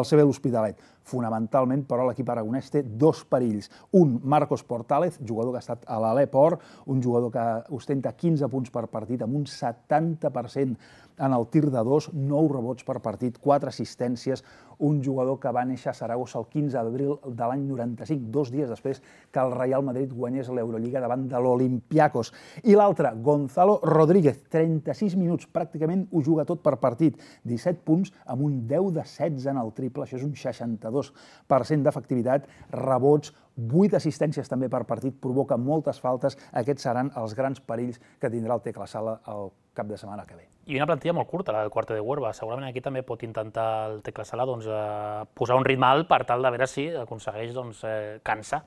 C B l'Hospitalet. Fonamentalment, però, l'equip aragonès té dos perills. Un, Marcos Portález, jugador que ha estat a l'Aleport, un jugador que ostenta quinze punts per partit, amb un setanta per cent en el tir de dos, nou rebots per partit, quatre assistències, un jugador que va néixer a Saragossa el quinze d'abril de l'any noranta-cinc, dos dies després que el Real Madrid guanyés l'Eurolliga davant de l'Olympiakos. I l'altre, Gonzalo Rodríguez, trenta-sis minuts, pràcticament ho juga tot per partit, disset punts amb un deu de setze en el triple, això és un seixanta-dos per cent d'efectivitat, rebots, vuit assistències també per partit, provoca moltes faltes. Aquests seran els grans perills que tindrà el Tecla Sala el cap de setmana que ve. I una plantilla molt curta, la del Quarta de Huerva. Segurament aquí també pot intentar el Tecla Sala doncs, eh, posar un ritme alt per tal de veure si aconsegueix doncs, eh, cansar,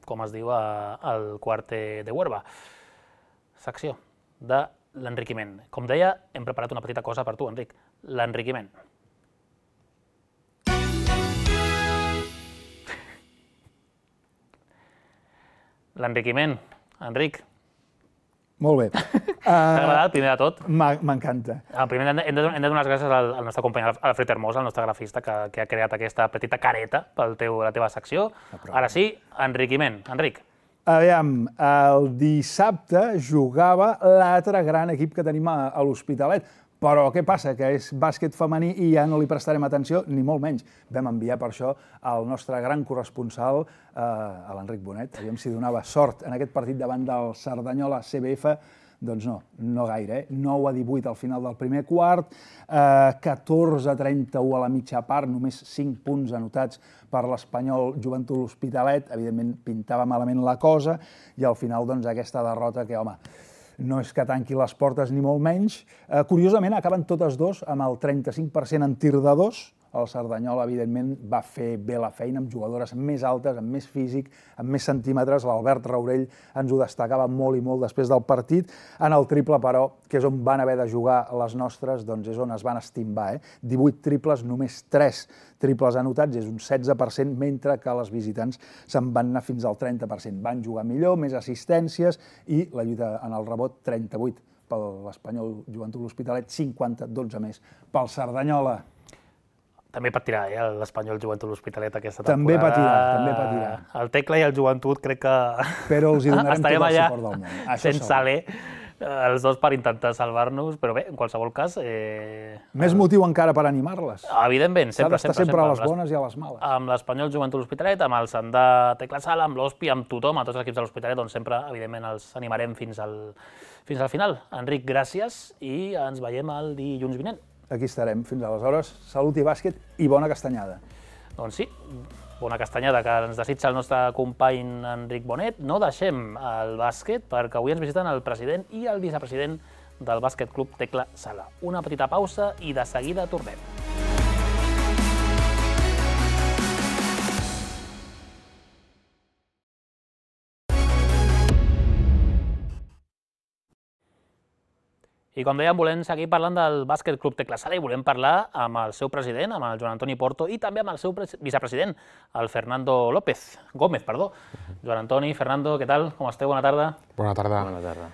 com es diu al Quarta de Huerva. Secció de l'enriquiment. Com deia, hem preparat una petita cosa per tu, Enric. L'enriquiment. L'enriquiment. Enric. Molt bé. T'ha agradat, primer de tot? M'encanta. Primer hem de donar les gràcies al nostre company Alfred Hermosa, el nostre grafista, que ha creat aquesta petita careta per la teva secció. Ara sí, enriquiment. Enric. Aviam, el dissabte jugava l'altre gran equip que tenim a l'Hospitalet. Però què passa? Que és bàsquet femení i ja no li prestarem atenció, ni molt menys. Vam enviar per això al nostre gran corresponsal, a l'Enric Bonet. Aviam si donava sort en aquest partit davant del Cerdanyola C B F. Doncs no, no gaire. nou a divuit al final del primer quart, catorze a trenta-u a la mitja part, només cinc punts anotats per l'Espanyol Joventut l'Hospitalet. Evidentment, pintava malament la cosa i al final, doncs, aquesta derrota que, home, no és que tanqui les portes ni molt menys. Curiosament, acaben totes dos amb el trenta-cinc per cent en tir de dos. El Cerdanyola, evidentment, va fer bé la feina amb jugadores més altes, amb més físic, amb més centímetres. L'Albert Raurell ens ho destacava molt i molt després del partit. En el triple, però, que és on van haver de jugar les nostres, doncs és on es van estimbar. divuit triples, només tres triples anotats, és un setze per cent, mentre que les visitants se'n van anar fins al trenta per cent. Van jugar millor, més assistències i la lluita en el rebot, trenta-vuit per l'Espanyol Joventut l'Hospitalet, cinquanta, dotze més pel Cerdanyola. També patirà, eh, l'Espanyol Joventut l'Hospitalet aquesta temporada. També patirà, també patirà. El Tecla i el Joventut crec que... Però els hi donarem tot el suport del món. Sense alè, els dos per intentar salvar-nos, però bé, en qualsevol cas... Més motiu encara per animar-les. Evidentment, sempre, sempre. S'ha d'estar sempre a les bones i a les males. Amb l'Espanyol Joventut l'Hospitalet, amb el Sant de Tecla Sala, amb l'Hospi, amb tothom, a tots els equips de l'Hospitalet, doncs sempre, evidentment, els animarem fins al final. Enric, gràcies i ens veiem el dilluns vinent. Aquí estarem. Fins aleshores, salut i bàsquet i bona castanyada. Doncs sí, bona castanyada que ens desitja el nostre company Enric Bonet. No deixem el bàsquet perquè avui ens visiten el president i el vicepresident del Bàsquet Club Tecla Sala. Una petita pausa i de seguida tornem. I com dèiem, volem seguir parlant del Bàsquet Club Tecla Sala i volem parlar amb el seu president, amb el Joan Antoni Porto, i també amb el seu vicepresident, el Fernando López, Gómez, perdó. Joan Antoni, Fernando, què tal? Com esteu? Bona tarda. Bona tarda. Bona tarda.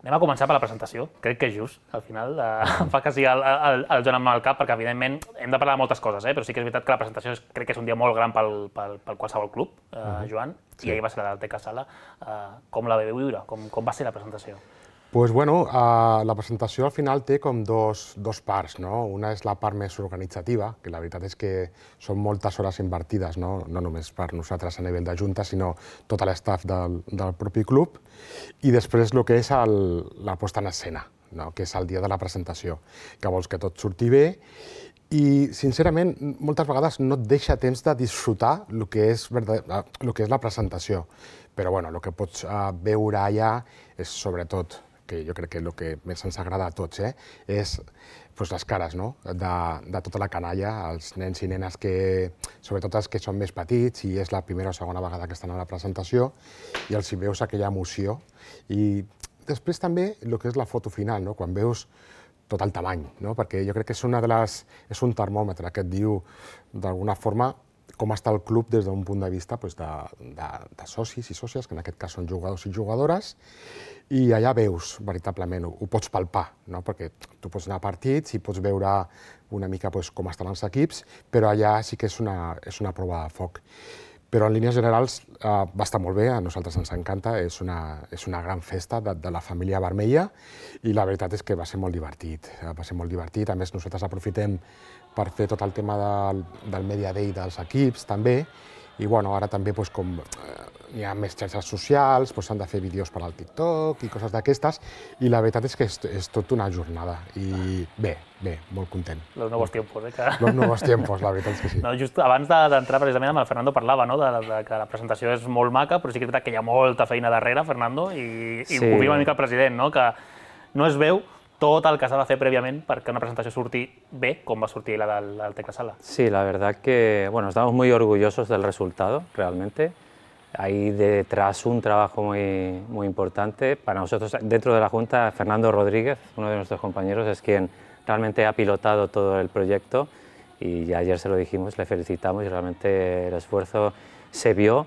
Anem a començar per la presentació. Crec que és just, al final, em fa que sigui el, el, el Joan amb el cap, perquè evidentment hem de parlar de moltes coses, eh? Però sí que és veritat que la presentació és, crec que és un dia molt gran pel, pel, pel qualsevol club, eh, uh-huh. Joan, sí. I ahir va ser la del Tecla Sala. Eh, com la veu viure? Com, com va ser la presentació? Pues bueno, uh, la presentació al final té com dos, dos parts, no? Una és la part més organitzativa, que la veritat és que són moltes hores invertides, no, no només per nosaltres a nivell de junta, sinó tot l'estaf del, del propi club, i després el que és el, la posta en escena, no? Que és el dia de la presentació, que vols que tot surti bé, i sincerament moltes vegades no et deixa temps de disfrutar el que és, el que és la presentació, però bueno, el que pots uh, veure allà és sobretot, que jo crec que el que més ens agrada a tots, eh, és pues, les cares, no? de, de tota la canalla, els nens i nenes que, sobretot els que són més petits, i és la primera o segona vegada que estan a la presentació, i els hi veus aquella emoció. I després també el que és la foto final, no? Quan veus tot el tamany, no? Perquè jo crec que és, una de les, és un termòmetre que et diu d'alguna forma com està el club des d'un punt de vista pues, de, de, de socis i sòcies, que en aquest cas són jugadors i jugadores, i allà veus veritablement, ho, ho pots palpar, no? Perquè tu pots anar a partits i pots veure una mica pues, com estan els equips, però allà sí que és una, és una prova de foc. Però en línies generals eh, va estar molt bé, a nosaltres ens encanta, és una, és una gran festa de, de la família vermella, i la veritat és que va ser molt divertit, va ser molt divertit. A més, nosaltres aprofitem per fer tot el tema del, del Media Day dels equips, també, i bueno, ara també pues, com eh, hi ha més xarxes socials, s'han de fer vídeos per al TikTok i coses d'aquestes, i la veritat és que és, és tot una jornada, i bé, bé, molt content. Los nuevos tiempos, eh? Que... Los nuevos tiempos, la veritat és que sí. No, just abans d'entrar precisament amb el Fernando parlava, no? de, de que la presentació és molt maca, però sí que és veritat que hi ha molta feina darrere, Fernando, i, i sí. Ho confirma una mica el president, no? Que no es veu tot el que s'ha de fer prèviament perquè una presentació surti bé, com va sortir la del, del Tecla Sala. Sí, la verdad que, bueno, estamos muy orgullosos del resultado, realmente. Hay detrás un trabajo muy, muy importante. Para nosotros, dentro de la Junta, Fernando Rodríguez, uno de nuestros compañeros, es quien realmente ha pilotado todo el proyecto, y ya ayer se lo dijimos, le felicitamos, y realmente el esfuerzo se vio.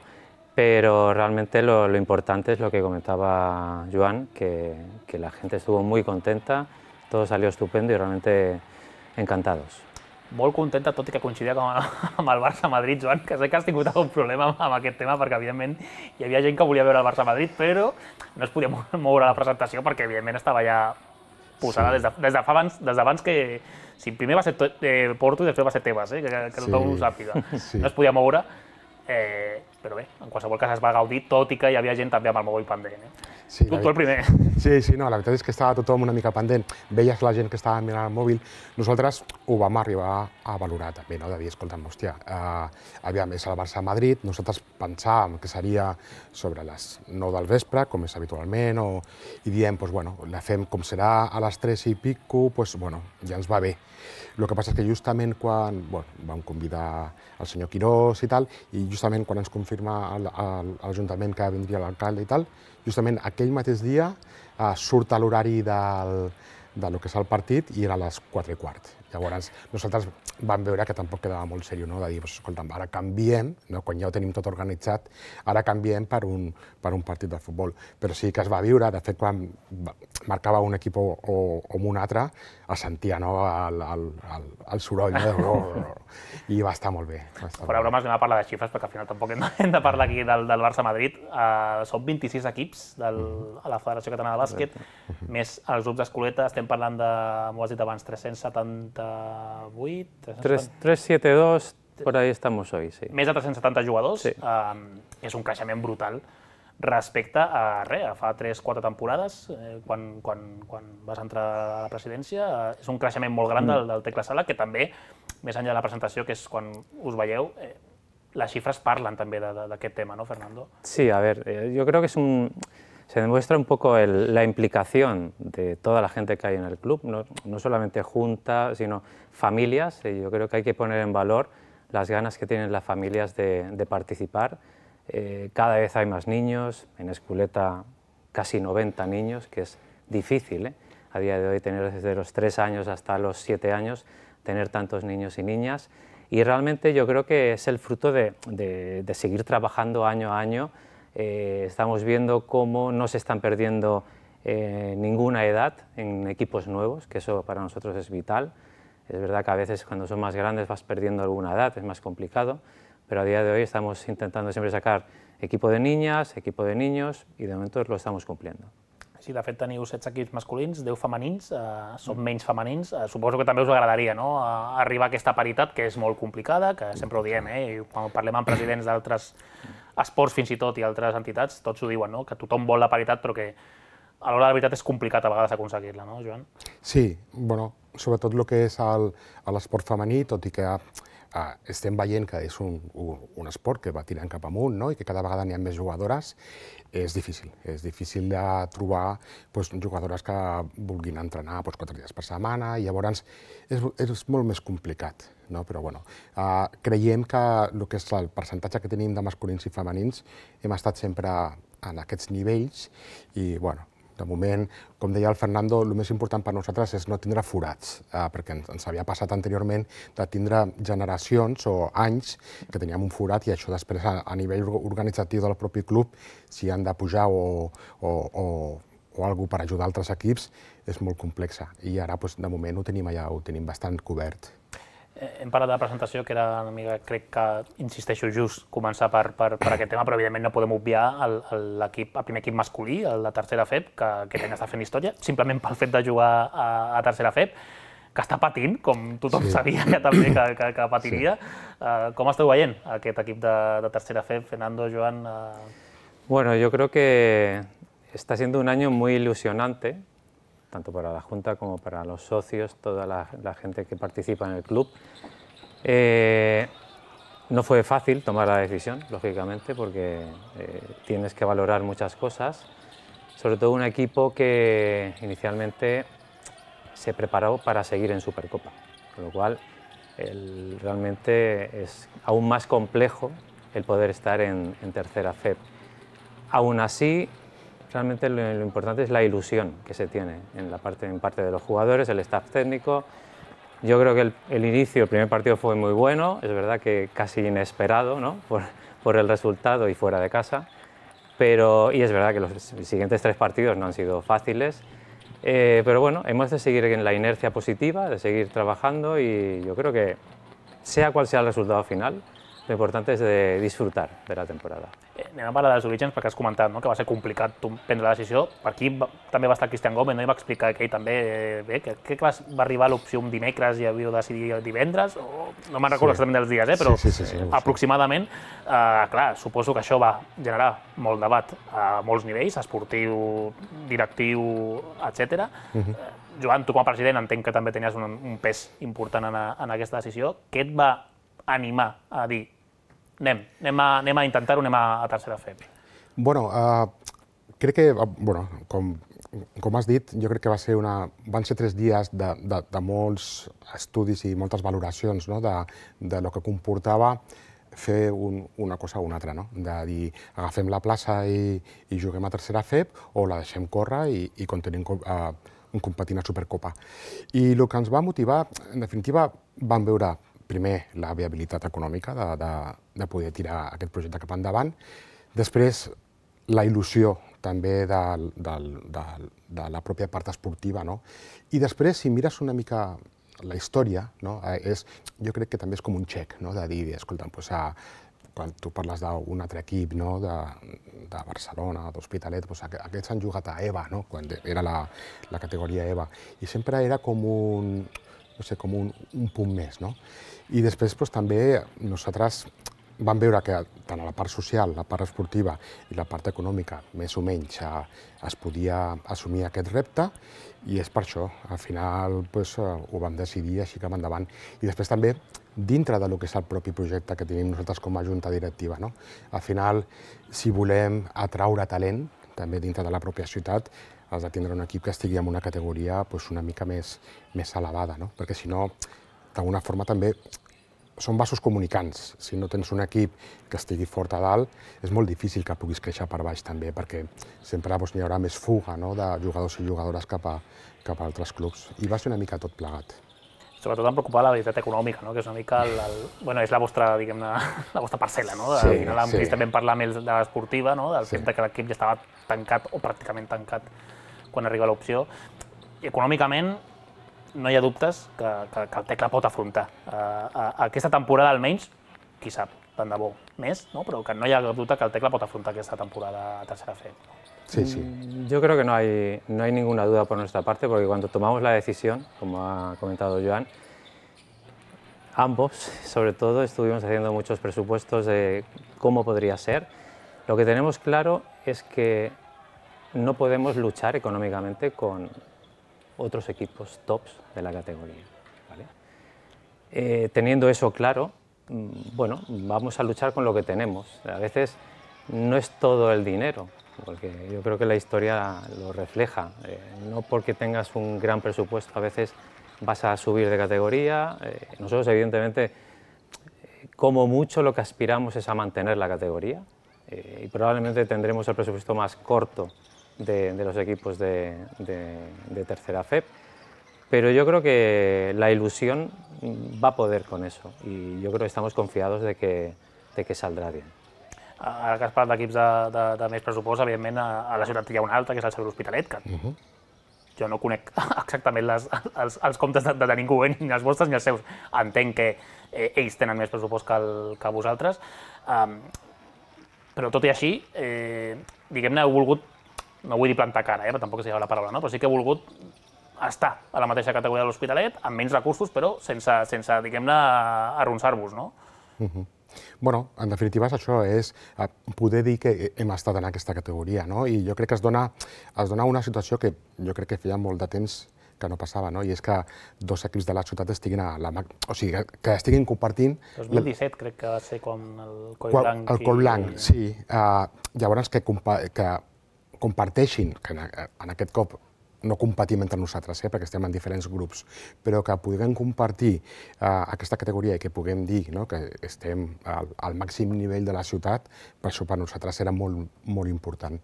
Pero realmente lo, lo importante es lo que comentaba Joan, que, que la gente estuvo muy contenta, todo salió estupendo y realmente encantados. Molt contenta, tot i que coincidia com a, amb el Barça-Madrid, Joan, que sé que has tingut algun problema amb, amb aquest tema, perquè evidentment hi havia gent que volia veure el Barça-Madrid, però no es podia moure la presentació perquè evidentment estava ja posada sí. des, de, des de fa abans, des d'abans que... Si primer va ser eh, Porto i després va ser Tebas, eh, que, que tothom sí. ho sàpiga. Sí. No es podia moure. Eh, però bé, en qualsevol cas es va gaudir, tot i que hi havia gent també amb el mòbil pendent. Eh? Sí, tu, tu el primer. Sí, sí, no, la veritat és que estava tothom una mica pendent, veies la gent que estava mirant el mòbil. Nosaltres ho vam arribar a valorar també, no? De dir, escolta'm, hòstia, eh, aviam, és el Barça-Madrid, nosaltres pensàvem que seria sobre les nou del vespre, com és habitualment, o, i diem, pues, bueno, la fem com serà a les tres i pico, pues, bueno, ja ens va bé. El que passa és que justament quan bueno, vam convidar el senyor Quirós i tal, i justament quan ens confirma l'Ajuntament que vindria l'alcalde i tal, justament aquell mateix dia eh, surt a l'horari del, del que és el partit i era a les quatre i quart. Llavors, nosaltres vam veure que tampoc quedava molt seriós, no? De dir, escolta'm, ara canviem, no? Quan ja ho tenim tot organitzat, ara canviem per un, per un partit de futbol. Però sí que es va viure, de fet, quan marcava un equip o, o, o un altre, es sentia, no? el, el, el, el soroll, no? I va estar molt bé. Fora bromes, anem a parlar de xifres, perquè al final tampoc hem de, hem de parlar aquí del, del Barça-Madrid. Uh, són vint-i-sis equips del, a la Federació Catalana de Bàsquet, més els grups d'escoleta, estem parlant de, m'ho has dit abans, tres-cents setanta-vuit? tres setanta dos, por ahí estamos hoy, sí. Més de tres-cents setanta jugadors, sí. uh, és un creixement brutal respecte a res, a fa tres quatre temporades, eh, quan, quan, quan vas entrar a la presidència, eh, és un creixement molt gran del, del Tecla Sala, que també, més enllà de la presentació, que és quan us veieu, eh, las cifras parlan també d'aquest tema, ¿no, Fernando? Sí, a ver, eh, yo creo que es un... se demuestra un poco el, la implicación de toda la gente que hay en el club, no, no solamente junta, sino familias, y yo creo que hay que poner en valor las ganas que tienen las familias de, de participar. Eh, cada vez hay más niños, en Esculeta casi noventa niños, que es difícil, ¿eh? a día de hoy tener desde los tres años hasta los siete años, tener tantos niños y niñas. Y realmente yo creo que es el fruto de, de, de seguir trabajando año a año. Eh, estamos viendo cómo no se están perdiendo eh, ninguna edad en equipos nuevos, que eso para nosotros es vital. Es verdad que a veces cuando son más grandes vas perdiendo alguna edad, es más complicado, pero a día de hoy estamos intentando siempre sacar equipo de niñas, equipo de niños, y de momento lo estamos cumpliendo. Sí, de fet teniu setze equips masculins, deu femenins, eh, són menys femenins. Eh, suposo que també us agradaria, no?, a arribar a aquesta paritat, que és molt complicada, que sempre ho diem, eh? I quan parlem amb presidents d'altres esports fins i tot i altres entitats, tots ho diuen, no?, que tothom vol la paritat, però que a l'hora de la veritat és complicat a vegades aconseguir-la, no, Joan? Sí, bueno, sobretot el que és l'esport femení, tot i que uh, estem veient que és un, un, un esport que va tirant cap amunt, no?, i que cada vegada n'hi ha més jugadores, és difícil. És difícil de trobar pues, jugadores que vulguin entrenar pues, quatre dies per setmana, i llavors és, és molt més complicat. No? Però bueno, uh, creiem que el que és el percentatge que tenim de masculins i femenins hem estat sempre en aquests nivells i, bueno, de moment, com deia el Fernando, el més important per nosaltres és no tindre forats, eh, perquè ens havia passat anteriorment de tindre generacions o anys que teníem un forat i això després a, a nivell organitzatiu del propi club, si han de pujar o, o, o, o alguna cosa per ajudar altres equips, és molt complexa. I ara, doncs, de moment, ho tenim allà, ho tenim bastant cobert. Hem parlat de la presentació, que era una mica, crec que, insisteixo, just començar per, per, per aquest tema, però evidentment no podem obviar el, l'equip, el primer equip masculí, el de tercera F E P, que aquest any està fent història, simplement pel fet de jugar a, a tercera F E P, que està patint, com tothom sí. sabia ja també que, que, que patiria. Sí. Uh, com esteu veient aquest equip de, de tercera F E P, Fernando, Joan? Uh... Bueno, yo creo que está siendo un año muy ilusionante, tanto para la Junta como para los socios, toda la, la gente que participa en el club. Eh, no fue fácil tomar la decisión, lógicamente, porque eh, tienes que valorar muchas cosas, sobre todo un equipo que inicialmente se preparó para seguir en Supercopa, con lo cual el, realmente es aún más complejo el poder estar en, en tercera F E P. Aún así, realmente lo, lo importante es la ilusión que se tiene en, la parte, en parte de los jugadores, el staff técnico. Yo creo que el, el inicio, el primer partido fue muy bueno, es verdad que casi inesperado, ¿no?, por, por el resultado y fuera de casa, pero, y es verdad que los siguientes tres partidos no han sido fáciles, eh, pero bueno, hemos de seguir en la inercia positiva, de seguir trabajando, y yo creo que sea cual sea el resultado final, lo importante és de disfrutar de la temporada. Eh, anem a parlar dels orígens, perquè has comentat, no?, que va ser complicat prendre la decisió. Per aquí va, també va estar Cristian Gómez, no?, i va explicar que ell també, eh, bé, que, que va, va arribar l'opció un dimecres i havíeu de decidir el divendres, o no me'n recordo sí. exactament dels dies, eh, però sí, sí, sí, sí, aproximadament. Eh, clar, suposo que això va generar molt debat a molts nivells, esportiu, directiu, etcètera. Uh-huh. eh, Joan, tu com a president entenc que també tenies un, un pes important en, a, en aquesta decisió. Què et va animar a dir anem, anem, a, anem a intentar-ho, anem a, a tercera F E P? Bueno, uh, crec que, bueno, com, com has dit, jo crec que va ser una, van ser tres dies de, de, de molts estudis i moltes valoracions, no?, de, de lo que comportava fer un, una cosa o una altra, no?, de dir, agafem la plaça i, i juguem a tercera F E P o la deixem córrer i, i continuem uh, competint a Supercopa. I el que ens va motivar, en definitiva, vam veure primer la viabilitat econòmica de, de, de poder tirar aquest projecte cap endavant, després la il·lusió també de, de, de, de la pròpia part esportiva, no? I després, si mires una mica la història, no? és, jo crec que també és com un xec, no?, de dir, escolta, pues, a, quan tu parles d'un altre equip, no?, de, de Barcelona, d'Hospitalet, pues, aquests han jugat a EVA, no?, quan era la, la categoria EVA, i sempre era com un, no sé, com un, un punt més, no? I després doncs, també nosaltres vam veure que tant a la part social, la part esportiva i la part econòmica, més o menys, es podia assumir aquest repte, i és per això, al final doncs, ho vam decidir així cap endavant. I després també, dintre del que és el propi projecte que tenim nosaltres com a junta directiva, no? Al final, si volem atraure talent, també dintre de la pròpia ciutat, has de tindre un equip que estigui en una categoria pues, una mica més, més elevada, no? Perquè si no, d'alguna forma també són vasos comunicants. Si no tens un equip que estigui fort a dalt, és molt difícil que puguis créixer per baix també, perquè sempre doncs, hi haurà més fuga, no?, de jugadors i jugadores cap a, cap a altres clubs. I va ser una mica tot plegat. Sobretot em preocupa la veritat econòmica, no?, que és una mica el, el, bueno, és la vostra, diguem-ne, la vostra parcel·la, no? De, Sí, al final, sí. també parlar més de l'esportiva, no?, del Sí. fet de que l'equip ja estava tancat o pràcticament tancat quan arriba l'opció. I econòmicament no hi ha dubtes que, que, que el Tecla pot afrontar. Uh, uh, aquesta temporada almenys, qui sap, tant de bo, més, ¿no? Però que no hi ha dubte que el Tecla pot afrontar aquesta temporada a tercera F. Sí, sí. Yo creo que no hay, no hay ninguna duda por nuestra parte, porque cuando tomamos la decisión, como ha comentado Joan, ambos, sobre todo, estuvimos haciendo muchos presupuestos de cómo podría ser. Lo que tenemos claro es que no podemos luchar económicamente con otros equipos tops de la categoría, ¿vale? Eh, teniendo eso claro, bueno, vamos a luchar con lo que tenemos. A veces no es todo el dinero, porque yo creo que la historia lo refleja. Eh, no porque tengas un gran presupuesto, a veces vas a subir de categoría. Eh, nosotros, evidentemente, como mucho lo que aspiramos es a mantener la categoría, eh, y probablemente tendremos el presupuesto más corto de, de los equipos de, de, de tercera F E P, pero yo creo que la ilusión va a poder con eso y yo creo que estamos confiados de que, de que saldrá bien. Ara que has parlat d'equips de, de, de més pressupost, evidentment a, a la ciutat hi ha un altre, que és el Cervera Hospitalet, que uh -huh. jo no conec exactament les, els, els comptes de, de ningú, eh? Ni els vostres ni els seus. Entenc que eh, ells tenen més pressupost que, el, que vosaltres, um, però tot i així, eh, diguem-ne, heu volgut, no vull dir plantar cara, eh, però tampoc sigui la paraula, no? Però sí que heu volgut estar a la mateixa categoria de l'Hospitalet, amb menys recursos, però sense, sense diguem-ne, arronsar-vos, no? Uh -huh. Bueno, en definitiva és això, és poder dir que hem estat en aquesta categoria, no? I jo crec que es dona, es dona una situació que jo crec que feia molt de temps que no passava, no? I és que dos equips de la ciutat estiguin a la... O sigui, que estiguin compartint... dos mil disset crec que va ser quan el Coll Quan, Blanc... el Coll Blanc, i... sí. Uh, llavors que, compa que comparteixin, que en, en aquest cop no competim entre nosaltres, eh, perquè estem en diferents grups, però que puguem compartir uh, aquesta categoria i que puguem dir, no, que estem al, al màxim nivell de la ciutat, per això per nosaltres era molt, molt important.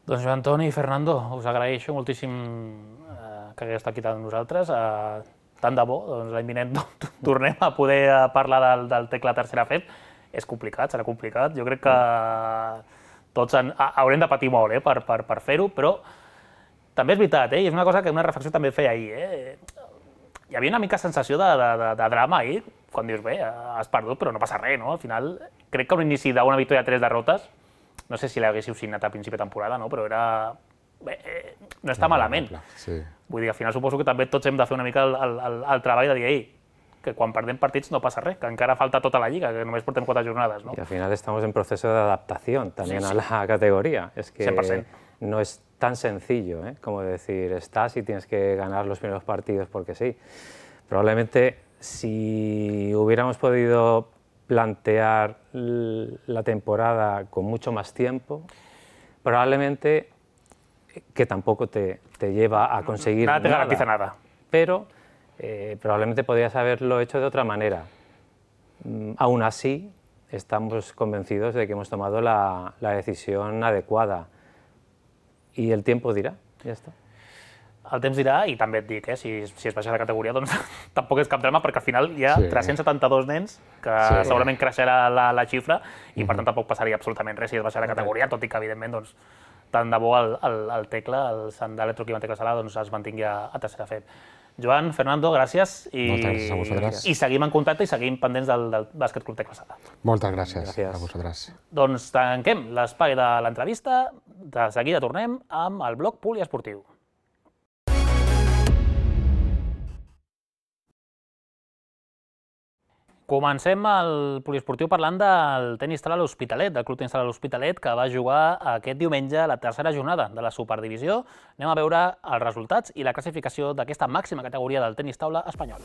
Doncs Joan Toni i Fernando, us agraeixo moltíssim eh, que hagueu estat aquí amb nosaltres. Eh, tant de bo, doncs l'any vinent tornem a poder parlar del, del Tecla tercera F E P. És complicat, serà complicat. Jo crec que tots en, haurem de patir molt eh, per, per, per fer-ho, però també és veritat, eh? I és una cosa que una reflexió també feia ahir. Eh? Hi havia una mica sensació de, de, de, de drama ahir, quan dius, bé, has perdut, però no passa res, no? Al final, crec que un inici d'una victòria a tres derrotes, no sé si l'haguéssiu signat a principi de temporada, no? Però era... Bé, eh, no està malament. Sí. Vull dir, al final suposo que també tots hem de fer una mica el, el, el treball de dir, ei, que quan perdem partits no passa res, que encara falta tota la lliga, que només portem quatre jornades, ¿no? Y al final estamos en proceso de adaptación también sí, sí. a la categoría. Es que cien por ciento. No es tan sencillo, ¿eh? Como decir, estás y tienes que ganar los primeros partidos porque sí. Probablemente si hubiéramos podido plantear la temporada con mucho más tiempo, probablemente que tampoco te, te lleva a conseguir nada. Nada te nada, garantiza nada. Pero eh, probablemente podrías haberlo hecho de otra manera. Mm, aún así, estamos convencidos de que hemos tomado la, la decisión adecuada. I el tiempo dirà, ja està. El temps dirà, i també et dic, eh, si, si es baixa de categoria, doncs tampoc és cap drama, perquè al final hi ha sí. tres-cents setanta-dos nens, que sí. segurament creixerà la, la xifra, i per tant tampoc passaria absolutament res si es baixa de categoria, tot i que, evidentment, doncs, tant de bo el, el, el Tecla, el Sant d'Electroclima Tecla Sala, doncs es mantingui a, a tercera F E P. Joan, Fernando, gràcies. I, Moltes gràcies a vosaltres. I seguim en contacte i seguim pendents del, del Bàsquet Club Tecla Sala. Moltes gràcies, gràcies a vosaltres. Doncs tanquem l'espai de l'entrevista. De seguida tornem amb el bloc poliesportiu. Comencem el poliesportiu parlant del tenis sala l'Hospitalet, del Club Tenis Sala l'Hospitalet, que va jugar aquest diumenge la tercera jornada de la Superdivisió. Anem a veure els resultats i la classificació d'aquesta màxima categoria del tenis taula espanyol.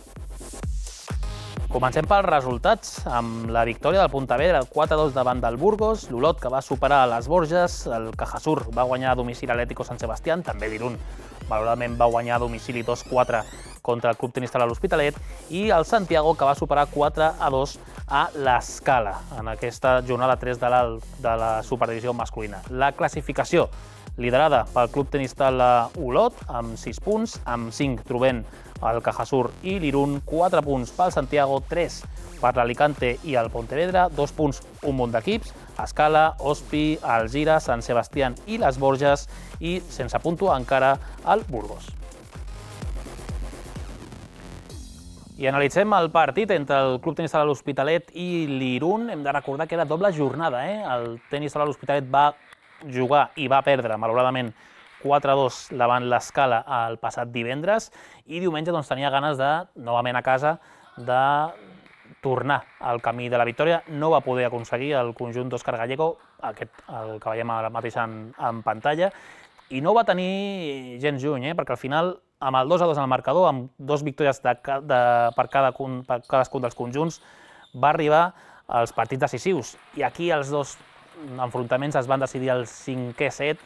Comencem pels resultats, amb la victòria del Pontevedra quatre a dos davant del Burgos, l'Olot que va superar les Borges, el Cajasur va guanyar a domicili a l'Atlético Sant Sebastián, també l'Irún malauradament va guanyar a domicili dos quatre contra el Club Tenista de l'Hospitalet, i el Santiago, que va superar quatre a dos a l'Escala en aquesta jornada tres de la, de la Superdivisió masculina. La classificació liderada pel Club Tenista Olot amb sis punts, amb cinc trobem el Cajasur i l'Irún, quatre punts pel Santiago, tres per l'Alicante i el Pontevedra, dos punts un munt d'equips, Escala, Ospi, Algira, Sant Sebastián i les Borges, i sense puntuar encara el Burgos. I analitzem el partit entre el Club Tenista de l'Hospitalet i l'Irún. Hem de recordar que era doble jornada. Eh? El Tenista de l'Hospitalet va jugar i va perdre, malauradament, quatre a dos davant l'Escala el passat divendres, i diumenge doncs, tenia ganes de, novament a casa, de tornar al camí de la victòria. No va poder aconseguir el conjunt d'Òscar Gallego, aquest, el que veiem ara mateix en, en pantalla, i no va tenir gens lluny, eh? perquè al final, amb el dos a dos en el marcador, amb dos victòries de, de, per, cada, per cadascun dels conjunts, va arribar als partits decisius. I aquí els dos enfrontaments es van decidir al cinquè set,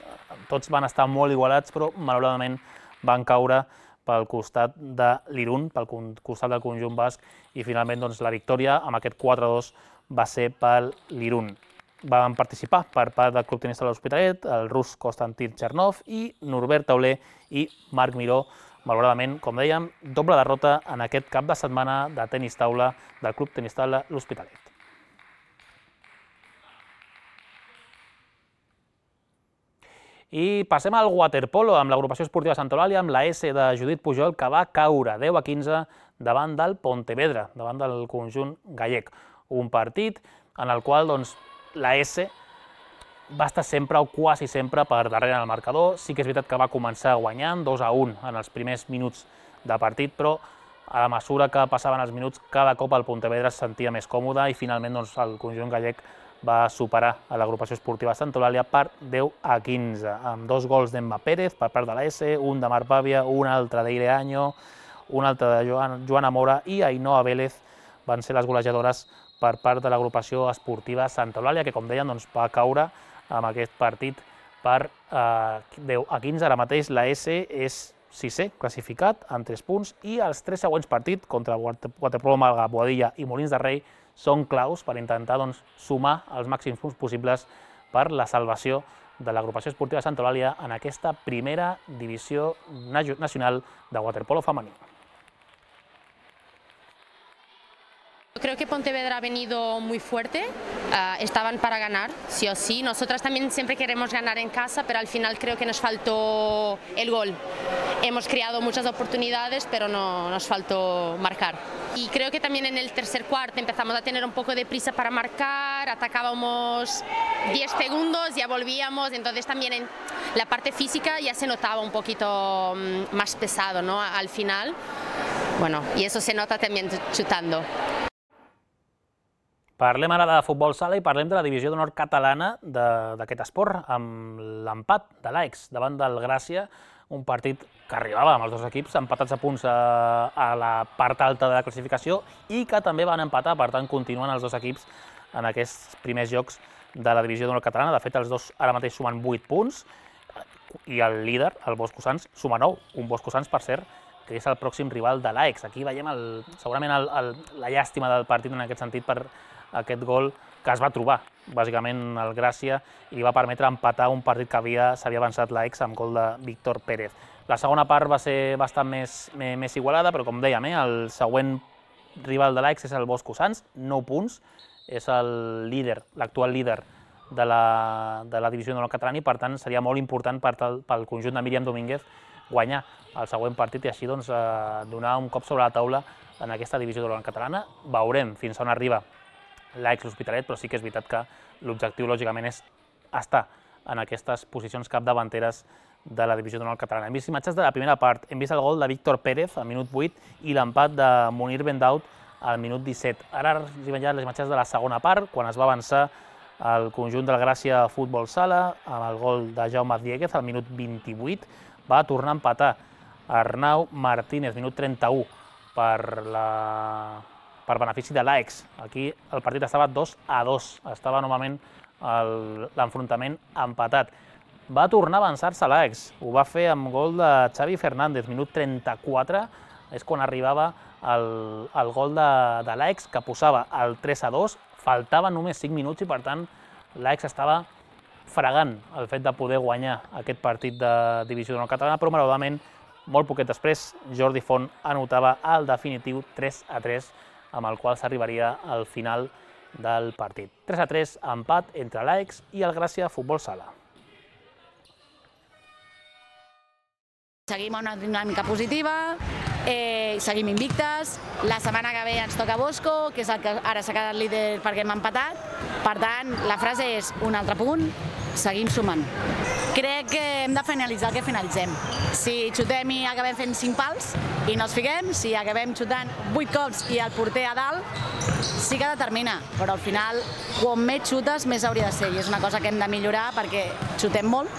tots van estar molt igualats, però malauradament van caure pel costat de l'Irún, pel costat del conjunt basc, i finalment doncs, la victòria amb aquest quatre a dos va ser pel l'Irún. Van participar per part del Club Tenista de l'Hospitalet el rus Konstantin Chernov i Norbert Tauler i Marc Miró. Malauradament, com dèiem, doble derrota en aquest cap de setmana de tenis taula del Club Tenista de l'Hospitalet. I passem al waterpolo amb l'agrupació esportiva Sant Eulàlia, amb la S de Judit Pujol, que va caure deu a quinze davant del Pontevedra, davant del conjunt gallec. Un partit en el qual doncs, la S va estar sempre o quasi sempre per darrere en el marcador. Sí que és veritat que va començar guanyant dos a un en els primers minuts de partit, però a la mesura que passaven els minuts, cada cop el Pontevedra es sentia més còmode i finalment doncs, el conjunt gallec va superar a l'agrupació esportiva Sant Eulàlia per deu a quinze, amb dos gols d'Emma Pérez per part de la S, un de Marc Pàvia, un altre d'Eire Año, un altre de Joana Mora i Ainhoa Vélez van ser les golejadores per part de l'agrupació esportiva Sant Eulàlia, que, com deien, doncs, va caure amb aquest partit per eh, deu a quinze. Ara mateix la S és sisè classificat amb tres punts i els tres següents partits contra Waterpolo Malga, Boadilla i Molins de Rei són claus per intentar doncs, sumar els màxims punts possibles per la salvació de l'agrupació esportiva Sant Eulàlia en aquesta primera divisió nacional de waterpolo femení. Creo que Pontevedra ha venido muy fuerte, uh, estaban para ganar, sí o sí. Nosotras también siempre queremos ganar en casa, pero al final creo que nos faltó el gol. Hemos creado muchas oportunidades, pero no, nos faltó marcar. Y creo que también en el tercer cuarto empezamos a tener un poco de prisa para marcar, atacábamos diez segundos, ya volvíamos, entonces también en la parte física ya se notaba un poquito más pesado, ¿no? Al final, bueno, y eso se nota también chutando. Parlem ara de futbol sala i parlem de la divisió d'honor catalana d'aquest esport, amb l'empat de l'Aix davant del Gràcia, un partit que arribava amb els dos equips empatats a punts a, a la part alta de la classificació i que també van empatar, per tant continuen els dos equips en aquests primers jocs de la divisió d'honor catalana. De fet, els dos ara mateix sumen vuit punts i el líder, el Boscosans, suma nou, un Boscosans, per cert, que és el pròxim rival de l'Aix. Aquí veiem el, segurament el, el, la llàstima del partit en aquest sentit per aquest gol que es va trobar, bàsicament, el Gràcia, i li va permetre empatar un partit que s'havia avançat l'Aix amb gol de Víctor Pérez. La segona part va ser bastant més, més igualada, però com dèiem, eh, el següent rival de l'Aix és el Boscosans, nou punts, és el líder, l'actual líder de la, de la divisió d'honor catalana i, per tant, seria molt important per tal, pel conjunt de Míriam Domínguez guanyar el següent partit i així doncs, eh, donar un cop sobre la taula en aquesta divisió d'honor catalana. Veurem fins on arriba l'Aix l'Hospitalet, però sí que és veritat que l'objectiu, lògicament, és estar en aquestes posicions capdavanteres de la divisió d'honor catalana. Hem vist imatges de la primera part, hem vist el gol de Víctor Pérez al minut vuit i l'empat de Munir Bendaud al minut disset. Ara hi veiem les imatges de la segona part, quan es va avançar el conjunt del Gràcia Futbol Sala, amb el gol de Jaume Dieguez al minut vint-i-vuit, va tornar a empatar Arnau Martínez, minut trenta-u, per la... per benefici de l'Aix. Aquí el partit estava dos a dos, estava novament l'enfrontament empatat. Va tornar a avançar-se l'Aix, ho va fer amb gol de Xavi Fernández, minut trenta-quatre, és quan arribava el, el gol de, de l'Aix, que posava el tres a dos, faltaven només cinc minuts i per tant l'Aix estava fregant el fet de poder guanyar aquest partit de divisió d'honor catalana, però malauradament, molt poquet després, Jordi Font anotava el definitiu tres a tres, amb el qual s'arribaria al final del partit. tres a tres, empat entre l'Aix i el Gràcia Futbol Sala. Seguim una dinàmica positiva, eh, seguim invictes, la setmana que ve ens toca Bosco, que és el que ara s'ha quedat líder perquè hem empatat, per tant, la frase és un altre punt, seguim sumant. Crec que hem de finalitzar el que finalitzem. Si xutem i acabem fent cinc pals i no els fiquem, si acabem xutant vuit cops i el porter a dalt, sí que determina, però al final, quan més xutes, més hauria de ser, i és una cosa que hem de millorar perquè xutem molt,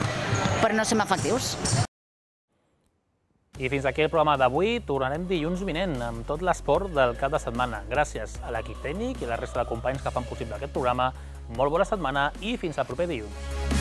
però no som efectius. I fins aquí el programa d'avui. Tornarem dilluns vinent amb tot l'esport del cap de setmana. Gràcies a l'equip tècnic i a la resta de companys que fan possible aquest programa. Molt bona setmana i fins al proper dilluns.